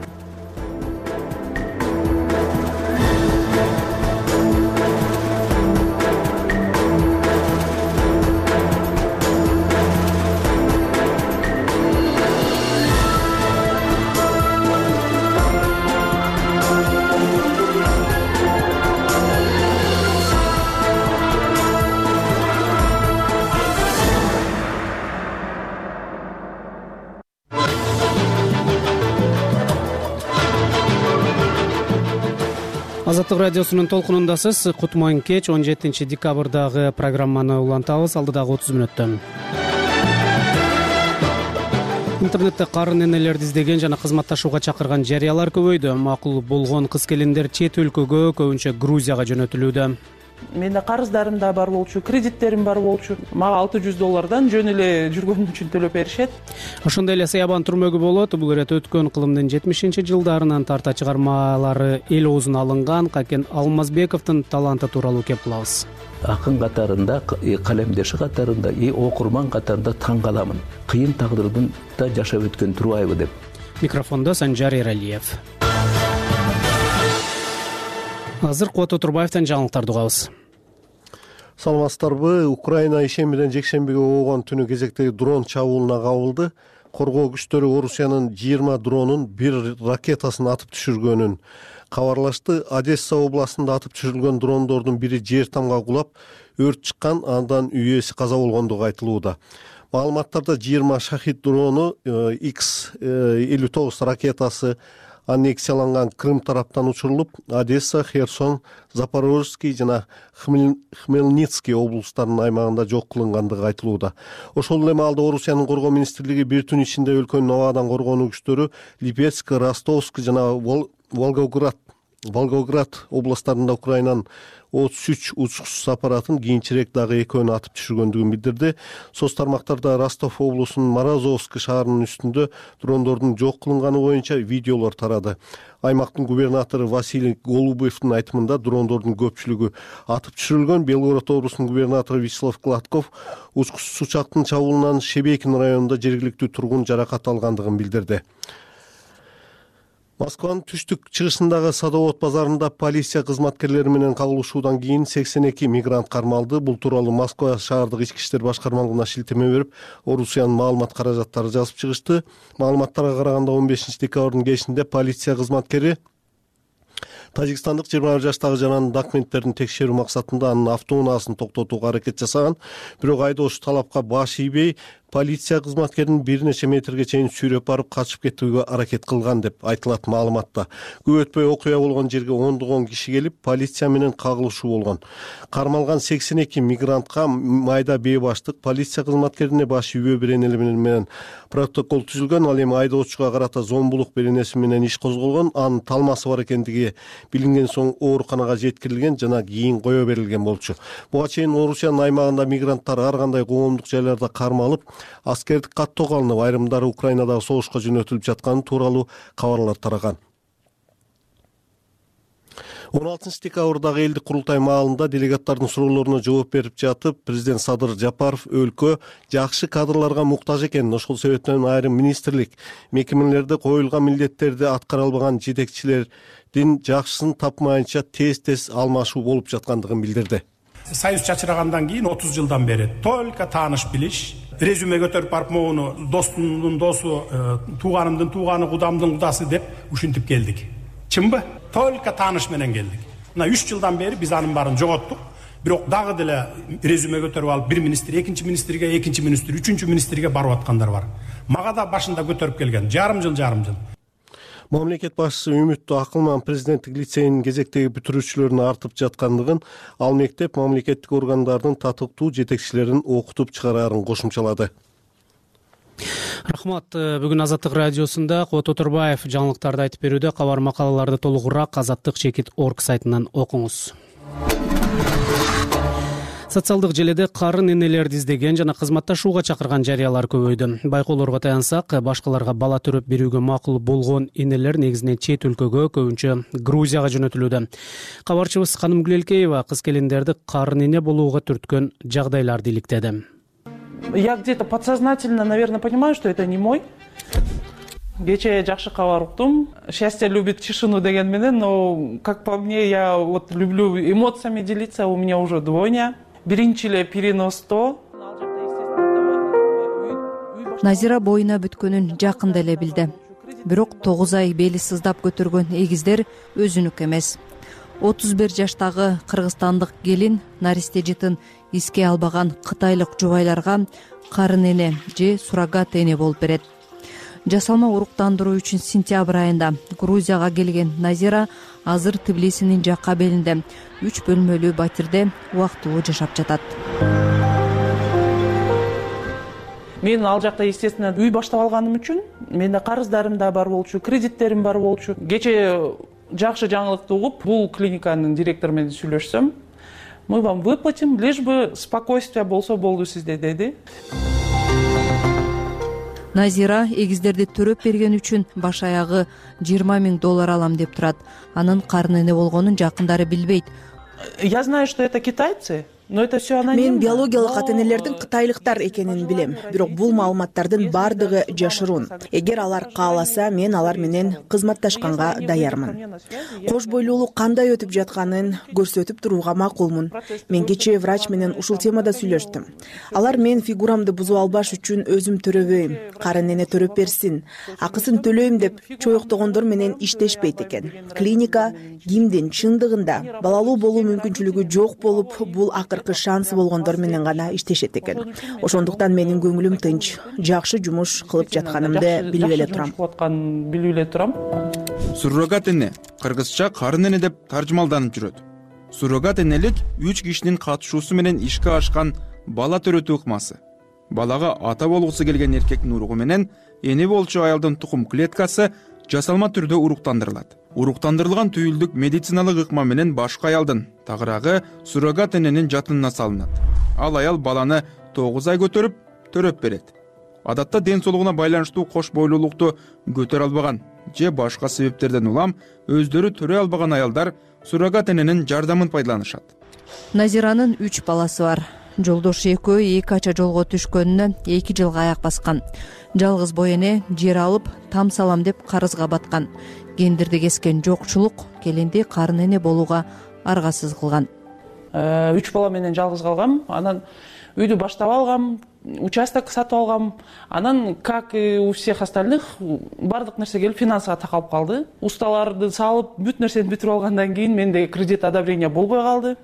Азаттык радиосунун толкунундасыз. Кутман кеч 17 декабрдагы программаны улантабыз алдыдагы 30 мүнөттөн. Интернетте карын энелерди издеген жана кызматташууга чакырган жарыялар көбөйдү. Макул болгон кыз-келиндер чет өлкөгө, көбүнчө Грузияга жөнөтүлүүдө. Менде карыздарым да бар болчу, кредиттерим бар болчу. Мага $600 жөн эле жүргөнүм үчүн төлөп беришет. Ошондой эле саябан түрмөгү болот. Бул ирет өткөн кылымдын 70-жылдарынан тарта чыгармалары эл оозуна алынган Какен Алмазбековдун таланты тууралуу кеп кылабыз. Акын катарында, калемдеши катарында, окурман катарында таң каламын. Кыйын тагдырдын да жашап өткөн турбайбы деп. Микрофондо Санжар Эралиев. Азыр Куат Отурбаевден жаңылыктарды угабыз. Саламатсыздарбы? Украина ишембиден жекшембиге болгон түнү кезектеги дрон чабуулуна кабылды. Коргоо күчтөрү Орусиянын 20 дронун, 1 ракетасын атып түшүргөнүн кабарлашты. Одесса областында атып түшүрүлгөн дрондордун бири жер тамга кулап, өрт чыккан, андан үй ээси каза болгондугу айтылууда. Маалыматтарда 20 шахид дрону, X-59 ракетасы аннексияланган Крым тараптан учурулуп, Одесса, Херсон, Запорожский жана Хмельницкий облустарынын аймагында жок кылынгандыгы айтылууда. Ошол эле маалда Орусиянын коргоо министрлиги бир түн ичинде өлкөнүн абадан коргонуу күчтөрү Липецк, Ростовск жана Волгоград областарында Украинанын 33 учкучсуз аппаратын, кийинчерээк дагы экөөнү атып түшүргөндүгүн билдирди. Соц тармактарда Ростов облусунун Морозовск шаарынын үстүндө дрондордун жок кылынганы боюнча видеолор тарады. Аймактын губернатору Василий Голубевдин айтымында дрондордун көпчүлүгү атып түшүрүлгөн. Белгород облусунун губернатору Вячеслав Гладков учкучсуз учактын чабуулунан Шебекин районунда жергиликтүү тургун жаракат алгандыгын билдирди. Москванын түштүк-чыгышындагы Садовод базарында полиция кызматкерлери менен кагылышуудан кийин 82 мигрант кармалды. Бул тууралуу Москва шаардык ички иштер башкармалыгына шилтеме берип, Орусиянын маалымат каражаттары жазып чыгышты. Маалыматтарга караганда 15 декабрдын кечинде полиция кызматкери Тажикстандык 21 жаштагы жананын документтерин текшерүү максатында анын автоунаасын токтотууга аракет жасаган. Бирок айдоочу талапка баш ийбей, полиция кызматкерин бир нече метрге чейин сүйрөп барып качып кетүүгө аракет кылган деп айтылат маалыматта. Көп өтпөй окуя болгон жерге ондогон киши келип, полиция менен кагылышуу болгон. Кармалган 82 мигрантка майда бээ баштык полиция кызматкерине баш үйбө беренели менен протокол түзүлгөн. Ал эми айдоочуга карата зомбулук беренеси менен иш козголгон. Анын талмасы бар экендиги билинген соң ооруканага жеткирилген жана кийин кое берилген болчу. Буга чейин Орусиянын аймагында мигранттар ар кандай коомдук жайларда кармалып, аскердик каттоого алынып, айрымдары Украинадагы согушка жөнөтүлүп жатканы тууралуу кабарлар тараган. 16 декабрдагы элдик курултай маалында делегаттардын суроолоруна жооп берип жатып, президент Садыр Жапаров өлкө жакшы кадрларга муктаж экенин, ошол себептен айрым министрлик, мекемелерде коюлган милдеттерди аткара албаган жетекчилердин жакшысын тапмайынча тез алмашуу болуп жаткандыгын билдирди. Союз чачырагандан кийин 30 жылдан бери только тааныш билиш, резюме көтөрүп барып могуну достумдун досу, тууганымдын тууганы, кудамдын кудасы деп ушинтип келдик. Чынбы? Только тааныш менен келдик. Мына 3 жылдан бери биз анын баарын жоготтук. Бирок дагы деле резюме көтөрүп алып, бир министр, экинчи министрге, үчүнчү министрге барып аткандар бар. Мага да башында көтөрүп келген. Жарым жыл. Мамлекет башчысы Үмүттүү Акылман президенттик лицейинин кезектеги бүтүрүүчүлөрүнүн артып жаткандыгын, ал мектеп мамлекеттик органдардын татыктуу жетекчилерин окутуп чыгарарын кошумчалады. Рахмат. Бүгүн Азаттык радиосунда Куат Отурбаев жаңылыктарды айтып берүүдө. Кабар макалаларды толугураак azattik.org сайтынан окуңуз. Социалдык желеде карын энелерди издеген жана кызматташууга чакырган жарыялар көбөйдү. Байкоолорго таянсак, башкаларга бала төрөп берүүгө макул болгон энелер негизинен чет өлкөгө, көбүнчө Грузияга жөнөтүлүүдө. Кабарчыбыз Каным Гүлелкеева кыз-келиндерди карын эне болууга түрткөн жагдайларды иликтеди. Я где-то подсознательно, наверное, понимаю, что это не мой. Кечээ жакшы кабар уктум. Счастье любит тишину деген менен, но как по мне, я вот люблю эмоциями делиться, у меня уже двойня. Биринчи эле переносто. Назира боюна бүткөнүн жакында эле билди. Бирок 9 ай бели сыздап көтөргөн эгиздер өзүнүк эмес. 31 жаштагы кыргызстандык келин наристежитин эске албаган кытайлык жубайларга карын эне же суррогат эне болуп берет. Жасалма уруктандыруу үчүн сентябрь айында Грузияга келген Назира азыр Тбилисинин жакка белинде 3 бөлмөлүү батирде убактылуу жашап жатат. Мен ал жакта естественно үй баштап алганым үчүн менде карыздарым да бар болчу, кредиттерим бар болчу. Кечээ жакшы жаңылыкты угуп, бул клиниканын директору менен сүйлөшсөм, мы вам выплатим, лишь бы спокойствие болсо болду сизде, деди. Назира эгиздерди төрөп берген үчүн баш аягы $20,000 алам деп турат. Анын карын эне болгонун жакындары билбейт. Я знаю, что это китайцы. Но это все анонимно. Мен биологиялык ата-энелердин кытайлыктар экенин билем, бирок бул маалыматтардын бардыгы жашыруун. Эгер алар кааласа, мен алар менен кызматташканга даярмын. Кош бойлуулук кандай өтүп жатканын көрсөтүп турууга макулмун. Мен кечээ врач менен ушул темада сүйлөштүм. Алар мен фигурамды бузуп албаш үчүн өзүм төрөбөйм, карын эне төрөп берсин, акысын төлөйм деп чоюктогондор менен иштешпейт экен. Клиника кимдин чындыгында балалуу болуу мүмкүнчүлүгү жок болуп, бул шансы болгондор менен гана иштешет экен. Ошондуктан менин көңүлүм тынч, жакшы жумуш кылып жатканымды билип эле турам. Суррогат эне кыргызча карын эне деп таржымалданып жүрөт. Суррогат энелик 3 кишинин катышуусу менен ишке ашкан бала төрөтүү ыкмасы. Балага ата болгусу келген эркектин уругу менен эне болчу аялдын тукум клеткасы жасалма түрдө уруктандырылат. Уруктандырылган түйүлдүк медициналык ыкма менен башка аялдын тагыраагы суррогат эненин жатынына салынат. Ал аял баланы 9 ай көтөрүп, төрөп берет. Адатта ден соолугуна байланыштуу кош бойлуулукту көтөрө албаган же башка себептерден улам өздөрү төрөй албаган аялдар суррогат эненин жардамын пайдаланышат. Назиранын 3 баласы бар. Жолдошу экөө 2 ача жолго түшкөнүнө 2 жылга аяк баскан. Жалгыз бой эне жер алып, там салам деп карызга баткан. Гендирди кескен жокчулук келинди карын эне болууга аргасыз кылган. 3 бала менен жалгыз калгам. Анан үйдү баштап алгам, участок сатып алгам. Анан, как и у всех остальных, бардык нерсе келип финансыга такалып калды. Усталарды салып, бүт нерсени бүтүрүп алгандан кийин менде кредит одобрение болбой калды.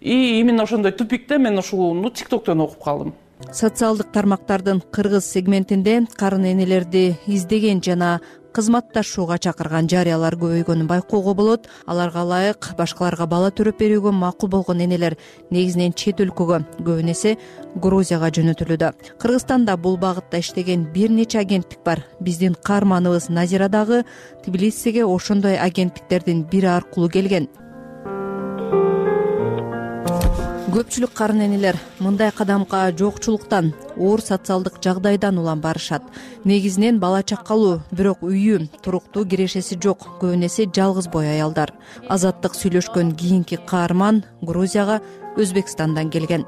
И именно ошондой тупикте мен ушул TikToктон окуп калдым. Социалдык тармактардын кыргыз сегментинде карын энелерди издеген жана кызматташууга чакырган жарыялар көбөйгөнүн байкоого болот. Аларга ылайык башкаларга бала төрөп берүүгө макул болгон энелер негизинен чет өлкөгө, көбүн эсе Грузияга жөнөтүлүүдө. Кыргызстанда бул багытта иштеген бир нече агенттик бар. Биздин каарманыбыз Назира дагы Тбилисиге ошондой агенттиктердин бири аркылуу келген. Көпчүлүк карын энелер мындай кадамга жокчулуктан, оор социалдык жагдайдан улам барышат. Негизинен бала чакалуу, бирок үйү, туруктуу кирешеси жок, көбүн эсе жалгыз бой аялдар. Азаттык сүйлөшкөн кийинки каарман Грузияга Өзбекстандан келген.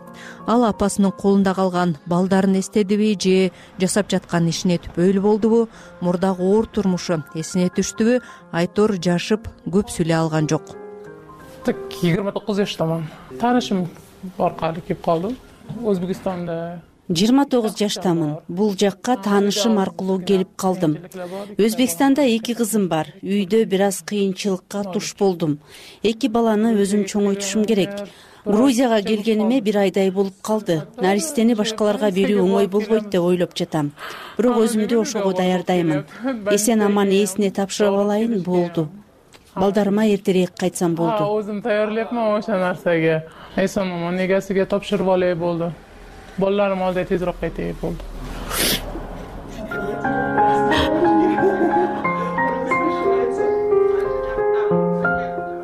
Ал апасынын колунда калган балдарын эстедиби же жасап жаткан ишине түпөйлүү болдубу, мурдагы оор турмушу эсине түштүбү, айтор жашып көп сүйлөй алган жок. 29 жаштаман. Таанышым аркылуу келип калдым. Өзбекстанда 29 жаштамын. Бул жакка таанышым аркылуу келип калдым. Өзбекстанда 2 кызым бар. Үйдө бир аз кыйынчылыкка туш болдум. 2 баланы өзүм чоңойтушум керек. Грузияга келгениме 1 айдай болуп калды. Наристени башкаларга берүү оңой болбойт деп ойлоп жатам. Бирок өзүмдү ошого даярдаймын. Эсен аман ээсине тапшырып алайын, болду. Балдарыма эртерээк кайтсам болду. Өзүм даярляпман ошо нерсеге. Эсен аман эгесиге тапшырып алай болду. Балдарым алда тезирээк кайтay болду.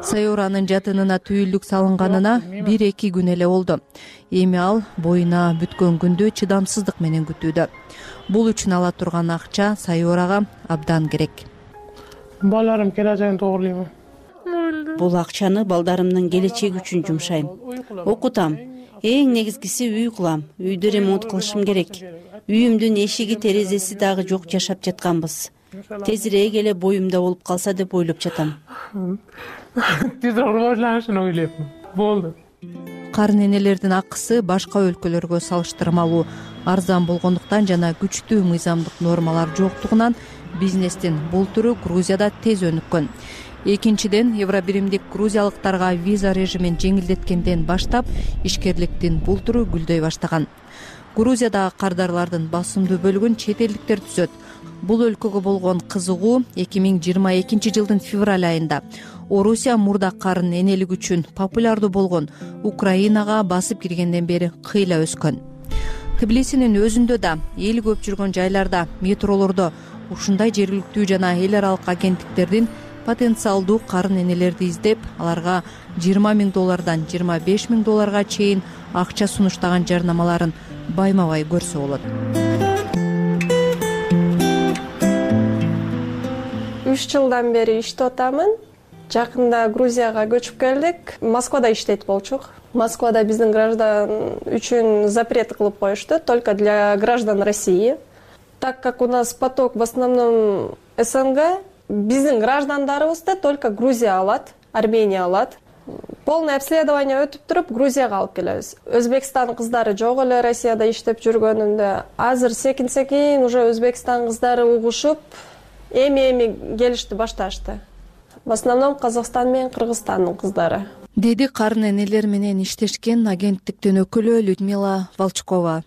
Сайоранын жатынына түйүлдүк салынганына 1-2 күн эле болду. Эми ал боюна бүткөн күндү чыдамсыздык менен күтүүдө. Бул үчүн ала турган акча Сайорага абдан керек. Балдарым келечегин тоогурлойм. Бул акчаны балдарымдын келечеги үчүн жумшайм. Окутам. Эң негизгиси үй кылам. Үйдү ремонт кылышым керек. Үйүмдүн эшиги, терезеси дагы жок жашап жатканбыз. Тезирээк эле боюмда болуп калса деп ойлоп жатам. Тезирээк рожланышын ойлойм. Болду. Карын энелердин акысы башка өлкөлөргө салыштырмалуу арзан болгондуктан жана күчтүү мыйзамдык нормалар жоктугунан бизнестин бул түрү Грузияда тез өнүккөн. Экинчиден, Евробиримдик грузиялыктарга виза режимин жеңилдеткенден баштап ишкерликтин бул түрү гүлдөй баштаган. Грузиядагы кардарлардын басымдуу бөлүгүн чет элдиктер түзөт. Бул өлкөгө болгон кызыгуу 2022 жылдын февраль айында Орусия мурда карын энелик үчүн популярдуу болгон Украинага басып киргенден бери кыйла өскөн. Тбилисинин өзүндө да эл көп жүргөн жайларда, метролордо ушундай жергиликтүү жана эл аралык агенттиктердин потенциалдуу карын энелерди издеп, аларга $20,000 $25,000 чейин акча сунуштаган жарнамаларын байма-бай көрсө болот. 3 жылдан бери иштеп атамын. Жакында Грузияга көчүп келдик. Москвада иштейт болчук. Москвада биздин граждан үчүн запрет кылып коюшту, только для граждан России. Так как у нас поток в основном СНГ, биздин граждандарыбызды только Грузия алат, Армения алат. Полное обследование өтүп туруп, Грузияга алып келебиз. Өзбекстан кыздары жок эле Россияда иштеп жүргөнүндө. Азыр секин уже Өзбекстан кыздары угушуп, эми келишти башташты. В основном Казакстан менен Кыргызстандын кыздары. Деди карын энелер менен иштешкен агенттиктин өкүлү Людмила Волчкова.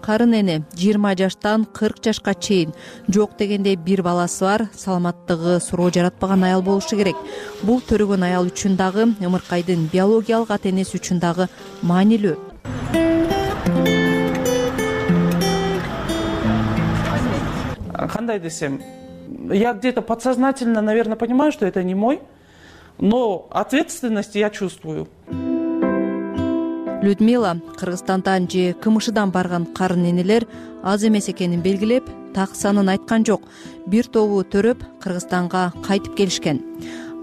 Карын эне 20 жаштан 40 жашка чейин жок дегенде бир баласы бар, саламаттыгы суроо жаратпаган аял болушу керек. Бул төрөгөн аял үчүн дагы, ымыркайдын биологиялык ата-энеси үчүн дагы маанилүү. Кандай десем, я где-то подсознательно, наверное, понимаю, что это не мой, но ответственность я чувствую. Людмила Кыргызстандан же КМШдан барган карын энелер аз эмес экенин белгилеп, так санын айткан жок. Бир тобу төрөп Кыргызстанга кайтып келишкен.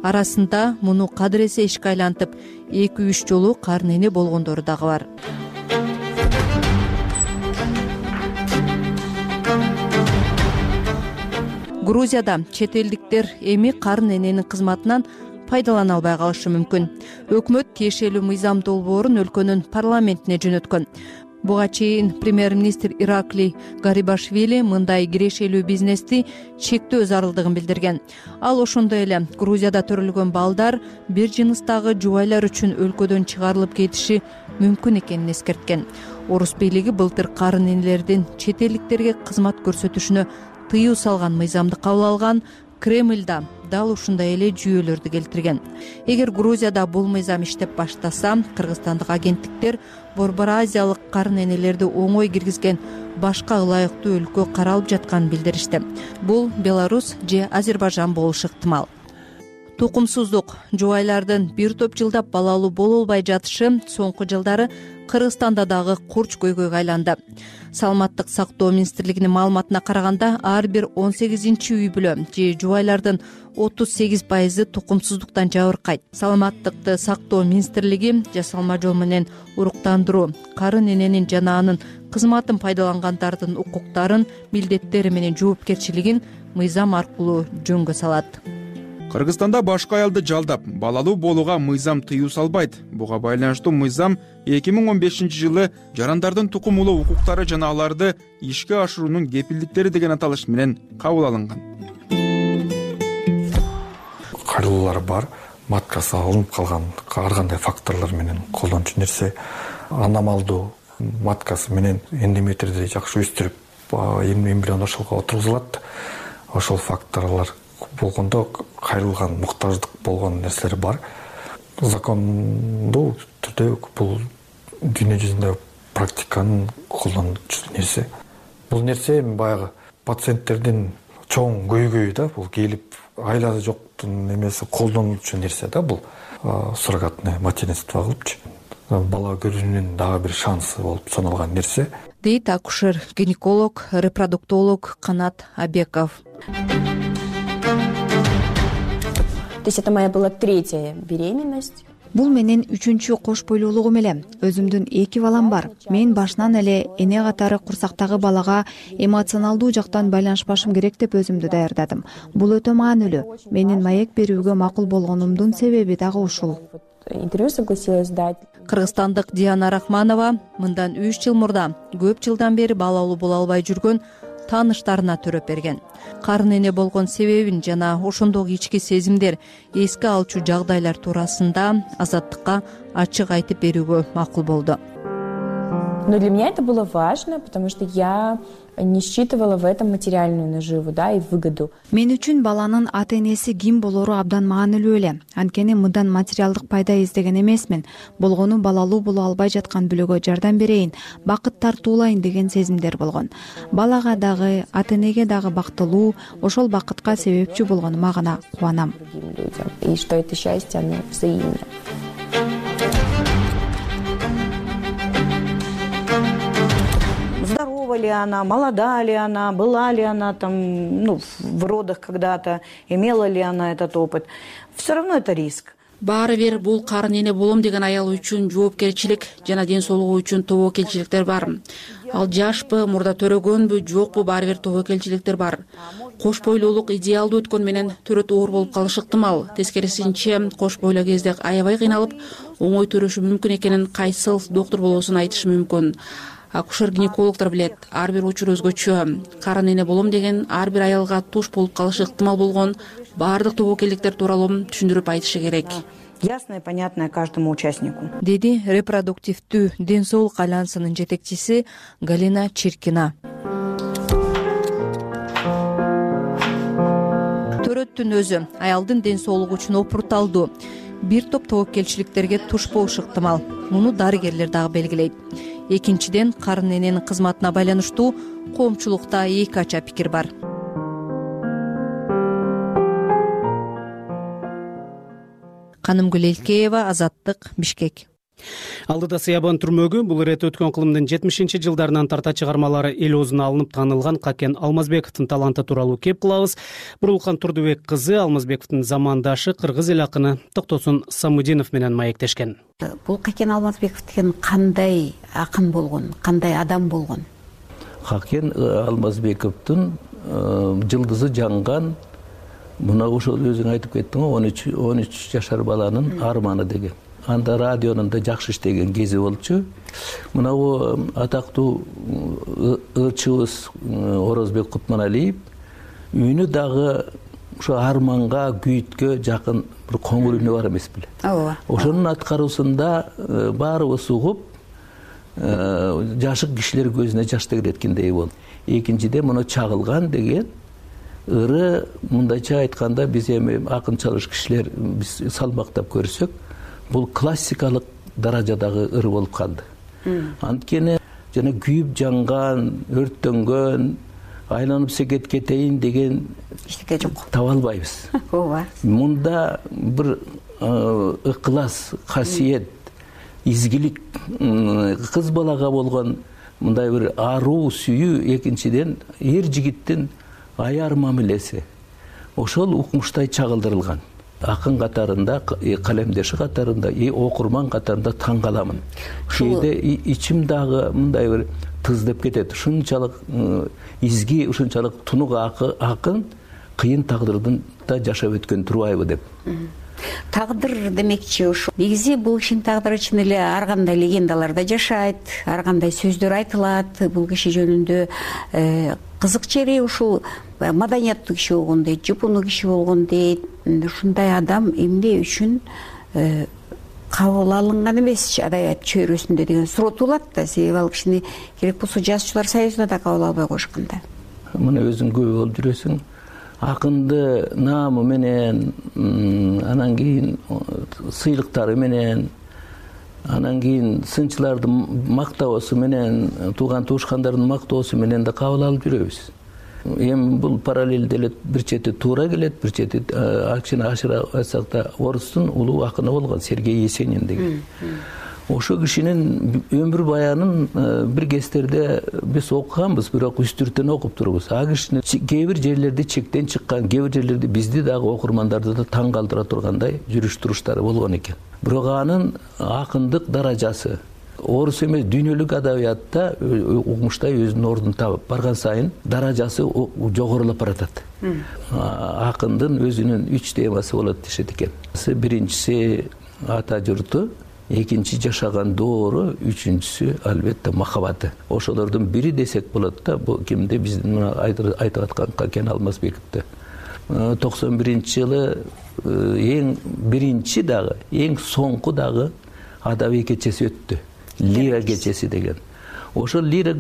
Арасында муну кадыресе ишке айлантып, 2-3 жолу карын эне болгондору дагы бар. Грузияда чет элдиктер эми карын эненин кызматынан пайдалана албай калышы мүмкүн. Өкмөт тиешелүү мыйзам долбоорун өлкөнүн парламентине жөнөткөн. Буга чейин премьер-министр Иракли Гарибашвили мындай кирешелүү бизнести чектөө зарылдыгын билдирген. Ал ошондой эле Грузияда төрөлгөн балдар бир жыныстагы жубайлар үчүн өлкөдөн чыгарылып кетиши мүмкүн экенин эскерткен. Орус бийлиги былтыр карын энелердин чет элдиктерге кызмат көрсөтүшүнө тыюу салган мыйзамды кабыл алган. Кремльда дал ушундай эле жүйөлөрдү келтирген. Эгер Грузияда бул мыйзам иштеп баштаса, кыргызстандык агенттиктер Борбор Азиялык карын энелерди оңой киргизген башка ылайыктуу өлкө каралып жатканын билдиришти. Бул Беларусь же Азербайжан болушу ыктымал. Тукумсуздук, жубайлардын бир топ жылдап балалуу боло албай жатышы соңку жылдары Кыргызстанда дагы курч көйгөйгө айланды. Саламаттык сактоо министрлигинин маалыматына караганда, ар бир 18-чи үй бүлө же жубайлардын 38% тукумсуздуктан жабыркайт. Саламаттыкты сактоо министрлиги жасалма жол менен уруктандыруу, карын эненин жана анын кызматын пайдалангандардын укуктарын, милдеттери менен жоопкерчилигин мыйзам аркылуу жөнгө салат. Кыргызстанда башка аялды жалдап, балалуу болууга мыйзам тыюу салбайт. Буга байланыштуу мыйзам 2015-жылы жарандардын тукумулуу укуктары жана аларды ишке ашыруунун кепилдиктери деген аталыш менен кабыл алынган. Кайрылуулар бар, маткасы алынып калган, ар кандай факторлор менен колдончу нерсе. Аномалдуу маткасы менен эндометрди жакшы өстүрүп, эмбрион ошолго отургузулат. Ошол факторлор болгондо кайрылган, муктаждык болгон нерселер бар. Закондуу түрдө бул дүйнө жүзүндө практиканын колдончу нерсе. Бул нерсе баягы пациенттердин чоң көйгөйү да, бул келип айласы жоктун эмеси колдонуучу нерсе да, бул суррогатный материнство кылыпчы. Бала көрүүнүн дагы бир шансы болуп саналган нерсе. Дейт акушер, гинеколог, репродуктолог Канат Абеков. То есть это моя была 3-я беременность. Бул менин 3-чү кош бойлуулугум эле. Өзүмдүн 2 балам бар. Мен башынан эле эне катары курсактагы балага эмоционалдуу жактан байланышпашым керек деп өзүмдү даярдадым. Бул өтө маанилүү. Менин маек берүүгө макул болгонумдун себеби дагы ушул. Интервью согласилась дать. Кыргызстандык Диана Рахманова мындан 3 жыл мурда көп жылдан бери балалуу боло албай жүргөн тааныштарына төрөп берген. Карын эне болгон себебин жана ошондогу ички сезимдер, эске алчу жагдайлар туурасында Азаттыкка ачык айтып берүүгө макул болду. Но для меня это было важно, потому что я не считывала в этом материальную наживу, да, и выгоду. Мен үчүн баланын ата энеси ким болору абдан маанилүү эле. Анткени мындан материалдык пайда издеген эмесмин. Болгону балалуу боло албай жаткан бүлөгө жардам берейин, бакыт тартуулайын деген сезимдер болгон. Балага дагы, ата энеге дагы бактылуу, ошол бакытка себепчи болгонума гана кубанам. И что это счастье, оно взаимно. Здорова ли она, молода ли она, была ли она там, в родах когда-то, имела ли она этот опыт. Все равно это риск. Баары бир бул карын эне болом деген аял үчүн жоопкерчилик жана ден соолугу үчүн тобокелчиликтер бар. Ал жашпы, мурда төрөгөнбү, жокпу, баары бир тобокелчиликтер бар. Кош бойлуулук идеалдуу өткөн менен төрөт оор болуп калышы ыктымал. Тескерисинче, кош бойлуу кезде аябай кыйналып, оңой төрөшү мүмкүн экенин кайсыл доктур болбосун айтышы мүмкүн. Акушер-гинекологдор билет, ар бир учур өзгөчө. Карын эне болом деген ар бир аялга туш болуп калышы ыктымал болгон баардык тобокелдиктер тууралуу түшүндүрүп айтышы керек. Ясно и понятно каждому участнику. Деди репродуктивдүү ден соолук альянсынын жетекчиси Галина Чиркина. Төрөттүн өзү аялдын ден соолугу үчүн опурталдуу. Бир топ тобокелчиликтерге туш болушу ыктымал. Муну дарыгерлер дагы белгилейт. Экинчиден, карын эненин кызматына байланыштуу коомчулукта эки ача пикир бар. Канымгүл Элкеева, Азаттык, Бишкек. Алдыда Сыябан түрмөгү бул ирет өткөн кылымдын 70-жылдарынан тарта чыгармалары эл оозуна алынып таанылган Какен Алмазбековдун таланты тууралуу кеп кылабыз. Бурулкан Турдубек кызы Алмазбековдун замандашы кыргыз эл акыны Токтосун Самудинов менен маектешкен. Бул Какен Алмазбеков деген кандай акын болгон, кандай адам болгон? Какен Алмазбековдун жылдызы жанган, мына ошол өзүң айтып кеттиң го, 13 жашар баланын арманы деген. Анда радионун да жакшы иштеген кези болчу. Мына атактуу ырчыбыз Орозбек Кутманалиев үнү дагы ошо арманга, күйүткө жакын бир коңур үнү бар эмес беле? Ооба. Ошонун аткаруусунда баарыбыз угуп, жашык кишилер көзүнө жаш тегереткендей болду. Экинчиден, муну чагылган деген ыры, мындайча айтканда, биз эми акын чалыш кишилер биз салмактап көрсөк, бул классикалык даражадагы ыр болуп калды. Анткени жана күйүп жанган, өрттөнгөн, айланып секет кетейин деген эчтеке жок. Таба албайбыз. Ооба. Мунда бир ыкылас, касиет, изгилик, кыз балага болгон мындай бир аруу сүйүү, экинчиден эр жигиттин аяр мамилеси ошол укмуштай чагылдырылган. Акын катарында, калемдеши катарында, окурман катарында таң каламын. Кээде ичим дагы мындай бир тыздап кетет. Ушунчалык изги, ушунчалык тунук акын кыйын тагдырдын да жашап өткөн турбайбы деп. Тагдыр демекчи ушу. Негизи бул кишинин тагдыры чын эле ар кандай легендаларда жашайт, ар кандай сөздөр айтылат. Бул киши жөнүндө кызык жери ушул маданияттуу киши болгон дейт, жупуну киши болгон дейт. Ушундай адам эмне үчүн кабыл алынган эмес адабият чөйрөсүндө деген суроо туулат да. Себеби ал кишини керек болсо жазуучулар союзуна да кабыл албай коюшкан да. Мына өзүң көп болуп жүрөсүң. Акынды наамы менен, анан кийин сыйлыктары менен, анан кийин сынчылардын мактоосу менен, тууган туушкандардын мактоосу менен да кабыл алып жүрөбүз. Эми бул параллелде эле бир чети туура келет, бир чети кичине ашыра айтсак да орустун улуу акыны болгон Сергей Есенин деген. Ошо кишинин өмүр баянын бир кездерде биз окуганбыз, бирок үстүртөн окуп турбуз. А кишинин кээ бир жерлерде чектен чыккан, кээ бир жерлерде бизди дагы окурмандарды да таң калтыра тургандай жүрүш туруштары болгон экен. Бирок анын акындык даражасы орус эмес дүйнөлүк адабиятта укмуштай өзүнүн ордун табып барган сайын даражасы жогорулап баратат. Акындын өзүнүн 3 темасы болот дешет экен. Биринчиси ата журту, экинчи жашаган доору, үчүнчүсү албетте махабаты. Ошолордун бири десек болот да, бул кимде биздин айтып аткан Какен Алмазбековду. 91-жылы эң биринчи дагы, эң соңку дагы адабий кечеси өттү. Лира кечеси деген. ошол лира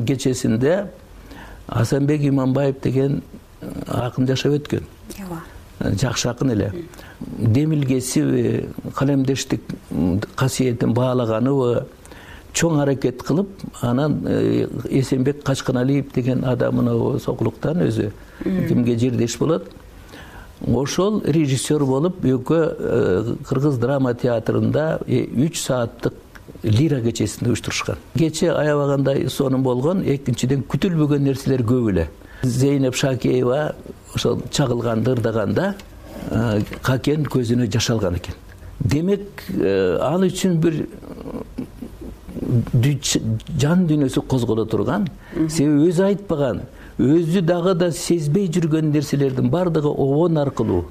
кечесинде Асанбек Иманбаев деген акын жашап өткөн. Жакшы акын эле. Демилгесиби, калемдештик касиетин баалаганыбы чоң аракет кылып, анан Эсенбек Качканалиев деген адам Сокулуктан өзү кимге жердеш болот. Ошол режиссер болуп, экөө Кыргыз драма театрында 3 сааттык лира кечесин уюштурушкан. Кече аябагандай сонун болгон, экинчиден күтүлбөгөн нерселер көп эле. Зейнеп Шакеева ошол чагылганда, ырдаганда Какен көзүнө жаш алган экен. Демек, ал үчүн бир жан дүйнөсү козголо турган, себеби өзү айтпаган, өзү дагы да сезбей жүргөн нерселердин бардыгы обон аркылуу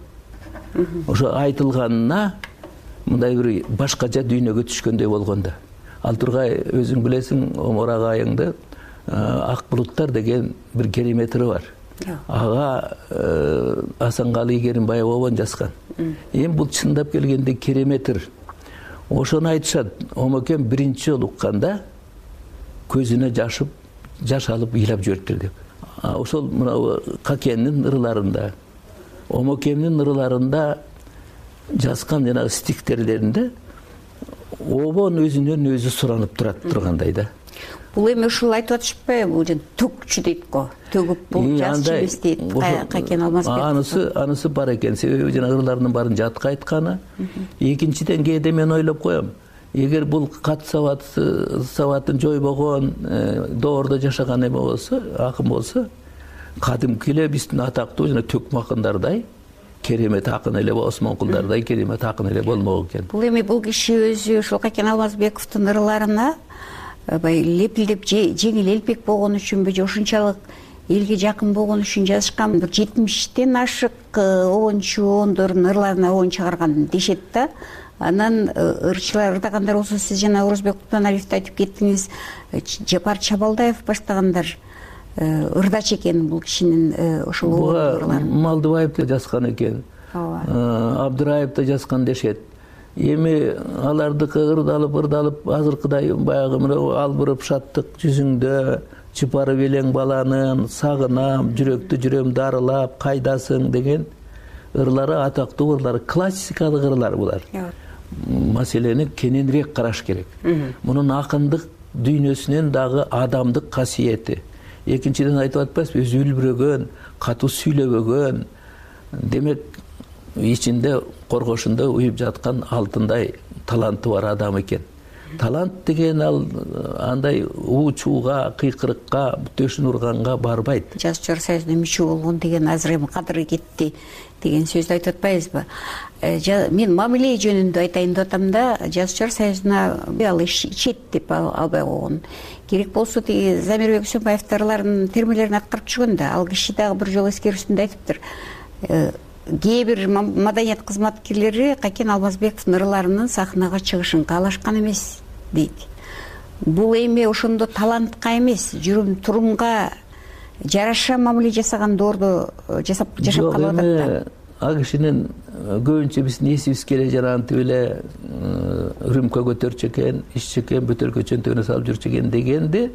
ошо айтылганына мындай бир башкача дүйнөгө түшкөндөй болгон да. Ал тургай өзүң билесиң, Омар агайыңды Ак булуттар деген бир керемети бар. Ага Асанкалы Керимбаев обон жазган. Эми бул чындап келгенде кереметир. Ошону айтышат, Омакем биринчи жолу укканда көзүнө жаш алып ыйлап жибериптир деп. Ошол мына Какенин ырыларында, Омакемдин ырыларында жазган жана стихтерлеринде обон өзүнөн өзү суранып тургандай да. Бул эми ушул айтып атышпайбы, бул төгчү дейт го. Төгүп бул жазчы эмес дейт Какен Алмазбеков. Анысы бар экен, себеби жана ырыларынын баарын жатка айтканы. Экинчиден кээде мен ойлоп коем, эгер бул кат сабатын жойбогон, доордо жашаган эме болсо, акын болсо, кадимки эле биздин атактуу жана төкмө акындардай керемет акын эле, Осмонкулдардай керемет акын эле болмок экен. Бул эми бул киши өзү ошол Какен Алмазбековдун ырыларына лепилдеп жеңил элпек болгон үчүнбү, же ушунчалык элге жакын болгон үчүн жазышкан, 70тен ашык обончу ондордун ырларына обон чыгарган дешет да. Анан ырчылар ырдагандар болсо, сиз жана Орозбек Кутманалиевди айтып кеттиңиз, Жапар Чабалдаев баштагандар ырдач экен бул кишинин ошол ырларын. Малдыбаев да жазган экен, Абдыраев да жазган дешет. Эми алардыкы ырдалып азыркыдай баягы албырып шаттык жүзүңдө чыпарып элең баланын, сагынам, жүрөктү жүрөм дарылап, кайдасың деген ырлары атактуу ырлар, классикалык ырлар булар. Маселени кененирээк караш керек. Мунун акындык дүйнөсүнөн дагы адамдык касиети. Экинчиден айтып атпайсызбы, өзү үлбүрөгөн, катуу сүйлөбөгөн, демек ичинде коргошунда уюп жаткан алтындай таланты бар адам экен. Талант деген ал андай чууга, кыйкырыкка, төшүн урганга барбайт. Жазуучулар союзуна мүчө болгон деген азыр эми кадыры кетти деген сөздү айтып атпайбызбы? Мен мамиле жөнүндө айтайын деп атам да, жазуучулар союзуна ал ичет деп албай койгон. Керек болсо тиги Замирбек Үсөнбаевдин ырларынын термелерин аткарып жүргөн да, ал киши дагы бир жолу эскерүүсүндө айтыптыр. Кээ бир маданият кызматкерлери Какен Алмазбековдун ырларынын сахнага чыгышын каалашкан эмес дейт. Бул эми ошондо талантка эмес, жүрүм турумга жараша мамиле жасаган доордо жашап калып атат да. Ал кишинин көбүнчө биздин эсибиз келе жарантип эле рюмка көтөрчү экен, иччү экен, бөтөлкө чөнтөгүнө салып жүрчү экен дегенди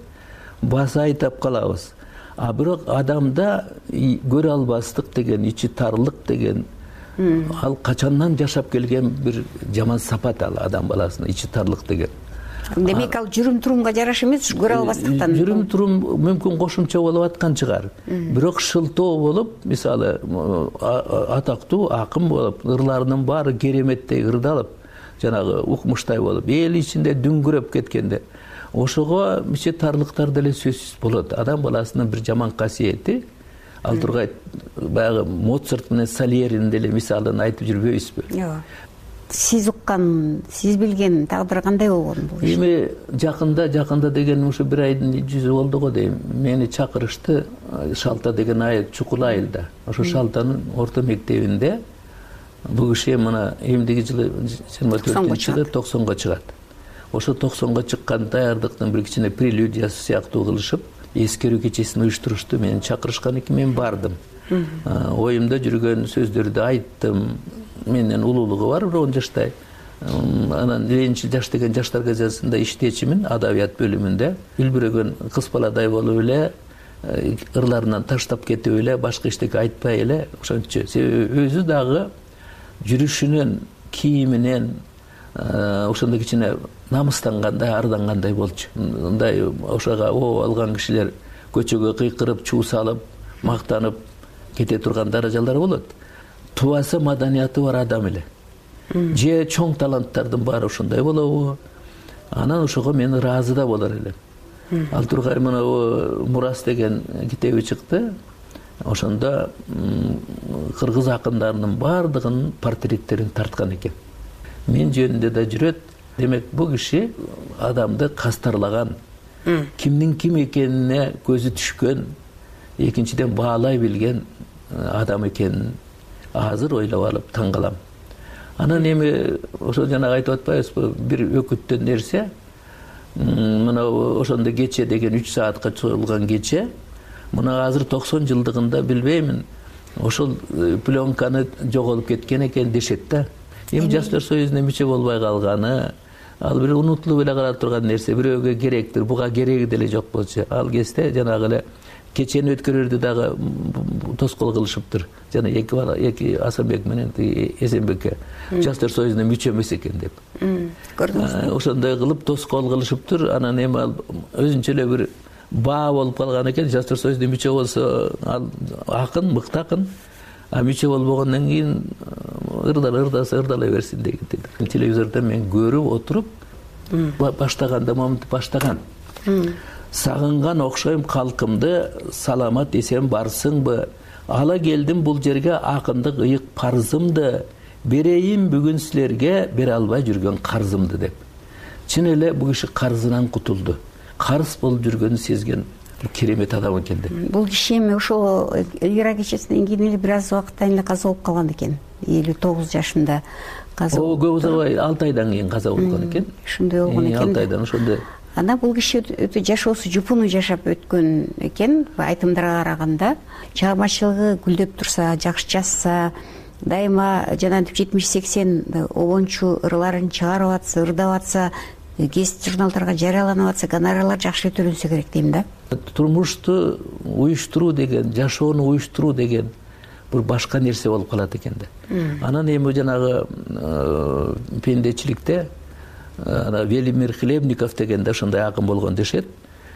баса айтап калабыз. А бирок адамда көрө албастык деген, ичи тарлык деген ал качандан жашап келген бир жаман сапат, ал адам баласына ичи тарлык деген. Демек ал жүрүм турумга жараша эмес, көрө албастыктан. Жүрүм турум мүмкүн кошумча болуп аткан чыгар. Бирок шылтоо болуп, мисалы атактуу акын болуп, ырларынын баары кереметтей ырдалып, жанагы укмуштай болуп, эл ичинде дүңгүрөп кеткенде, ошого мисче тарлыктар деле сөзсүз болот. Адам баласынын бир жаман касиети, ал тургай баягы Моцарт менен Сальеринин деле мисалын айтып жүрбөйбүзбү? Жок. Сиз уккан, сиз билген тагдыры кандай болгон бул? Эми жакында деген ушу бир айдын жүзү болду го дейм. Мени чакырышты Шалта деген айыл, Чукул айылда. Ошо Шалтанын орто мектебинде бул киши мына эмдиги жылы 24-жылы 90го чыгат. Ошо 90го чыккан даярдыктын бир кичине прелюдиясы сыяктуу кылышып, эскерүү кечесин уюштурушту. Мени чакырышкан экен, мен бардым. Оюмда жүргөн сөздөрдү айттым. Менден улуулугу бар, 10 жаштай. Анан биринчи жаш деген жаштар газетасында иштечимин, адабият бөлүмүндө. Үлбүрөгөн кыз баладай болуп эле, ырларынан таштап кетип эле, башка эчтеке айтпай эле, ошончо. Себеби өзү дагы жүрүшүнөн, кийиминен ошондой кичине намыстангандай, ардангандай болчу. Мындай ошого оо алган кишилер көчөгө кыйкырып, чуу салып, мактанып кете турган даражалар болот. Тубасы, маданияты бар адам эле. Же чоң таланттардын баары ошондой болобу? Анан ошого мен ыраазы да болор элем. Ал тургай мына Мурас деген китеби чыкты. Ошондо кыргыз акындарынын баардыгынын портреттерин тарткан экен. Мен жөнүндө да жүрөт. Демек, бул киши адамды кастарлаган, кимдин ким экенине көзү түшкөн, экинчиден баалай билген адам экенин азыр ойлоп алып таң калам. Анан эми ошо жана айтып атпайбызбы, бир өкүттөн нерсе, мына ошондо кече деген 3 саатка чогулган кече, мына азыр 90 жылдыгында билбеймин, ошол пленканы жоголуп кеткен экен дешет да. Эми Жаштар союзуна мүчө болбой калганы, ал бир унутулуп эле кала турган нерсе, бирөөгө керектир, буга кереги деле жок болчу. Ал кезде жанагы эле кечени өткөрөрдү дагы тоскоол кылышыптыр. Жана эки Асанбек менен Эсенбекке Жаштар союзуна мүчө эмес экен деп. Көрдүңүзбү? Ошондой кылып тоскоол кылышыптыр. Анан эми ал өзүнчө эле бир баа болуп калган экен. Жаштар союзуна мүчө болсо ал акын, мыкты акын. А мүчө болбогондон кийин ырдалай берсин деген. Телевизордо мен көрүп отуруп баштаганда момунтип баштаган. Сагынган окшойм калкымды, саламат эсен барсыңбы? Ала келдим бул жерге акындык ыйык парзымды, берейин бүгүн силерге бере албай жүргөн карзымды деп. Чын эле бул киши карзынан кутулду. Карыз болуп жүргөнүн сезген керемет адам экен деп. Бул киши эми ошол Элвира кечесинен кийин эле бир аз убакыттан эле каза болуп калган экен. 59 жашында каза. Көп узабай 6 айдан кийин каза болгон экен. Ошондой болгон экен. 6 айдан ошондой. Анда бул киши өтө жашоосу жупуну жашап өткөн экен, айтымдарга караганда. Чыгармачылыгы гүлдөп турса, жакшы жазса, дайыма жанагынтип 70-80 обончу ырларын чыгарып атса, ырдап атса, гезит журналдарга жарыяланып атса, гонорарлар жакшы төлөнсө керек дейм да. Турмушту уюштуруу деген, жашоону уюштуруу деген бир башка нерсе болуп калат экен да. Анан эми жанагы пендечиликте Велимир Хлебников деген да ошондой акын болгон дешет.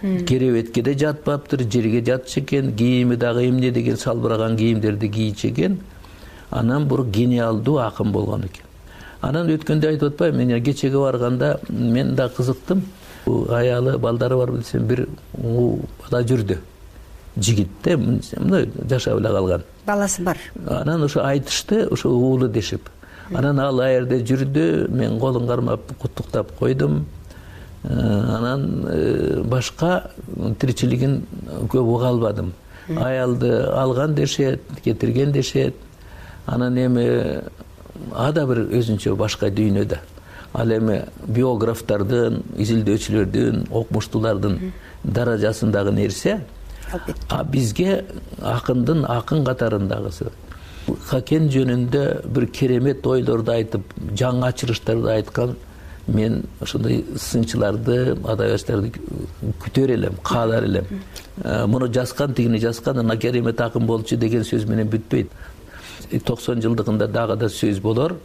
Керебетке де жатпаптыр, жерге жатчу экен, кийими дагы эмне деген салбыраган кийимдерди кийчү экен. Анан бир гениалдуу акын болгон экен. Анан өткөндө айтып атпайбы, мен кечеге барганда мен да кызыктым. Аялы, балдары бар билсем, бир бала жүрдү. Жигитте, мындай жашап эле калган. Баласы бар. Анан ошо айтышты, ошо уулу дешип. Анан ал аерде жүрдү, мен колун кармап куттуктап койдум. Анан башка тиричилигин көп уга албадым. Аялды алган дешет, кетирген дешет. Анан эми ада бир өзүнчө башка дүйнөдө. Ал эми биографтардын, изилдөөчүлөрдүн, окумуштуулардын даражасындагы нерсе. А бизге акындын акын катарындагысы. Хакен жөнүндө бир керемет ойлорду айтып, жаңы ачырыштарды айткан мен ошондой сынчыларды, адабиятчыларды күтөр элем, каалар элем. Муну жазган, тигини жазган, ана керемет акын болчу деген сөз менен бүтпөйт. 90 жылдыгында дагы да сөз болор,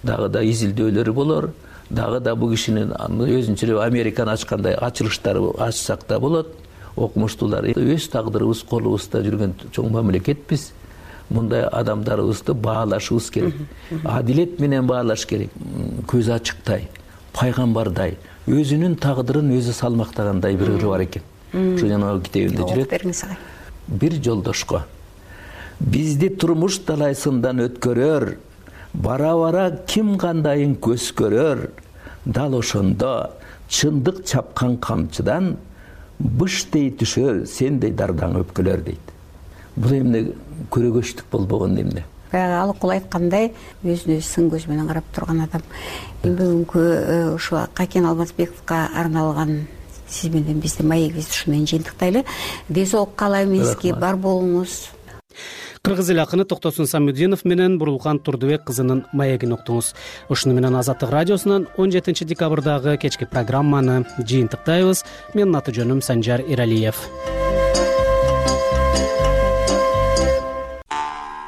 дагы да изилдөөлөрү болор, дагы да бул кишинин өзүнчө эле Американ ачкандай ачылыштары ачсак да болот. Окумуштуулар өз тагдырыбыз колубузда жүргөн чоң мамлекетпиз. Мындай адамдарыбызды баалашыбыз керек. Адилет менен баалаш керек. Көз ачыктай, пайгамбардай, өзүнүн тагдырын өзү салмактагандай бир ыры бар экен. Ошо жанагы китебинде жүрөт. Бир жолдошко бизди турмуш талайсындан өткөрөр, бара-бара ким кандайын көз көрөр, дал ошондо чындык чапкан камчыдан быштей түшөр, сендей дардаң өпкөлөр дейт. Бул эмне көрөгөчтүк болбогон эмне? Баягы Алыкул айткандай, өзүнө сын көз менен карап турган адам. Бүгүнкү ушу Какен Алмазбековго арналган сиз менен биздин маегибизди ушу менен жыйынтыктайлы. Ден соолук каалайм, эске бар болуңуз. кыргыз эл акыны Токтосун Самудинов менен Бурулкан Турдубек кызынын маегин уктуңуз. Ушуну менен Азаттык радиосунан 17 декабрдагы кечки программаны жыйынтыктайбыз. Менин аты жөнүм Санжар Эралиев.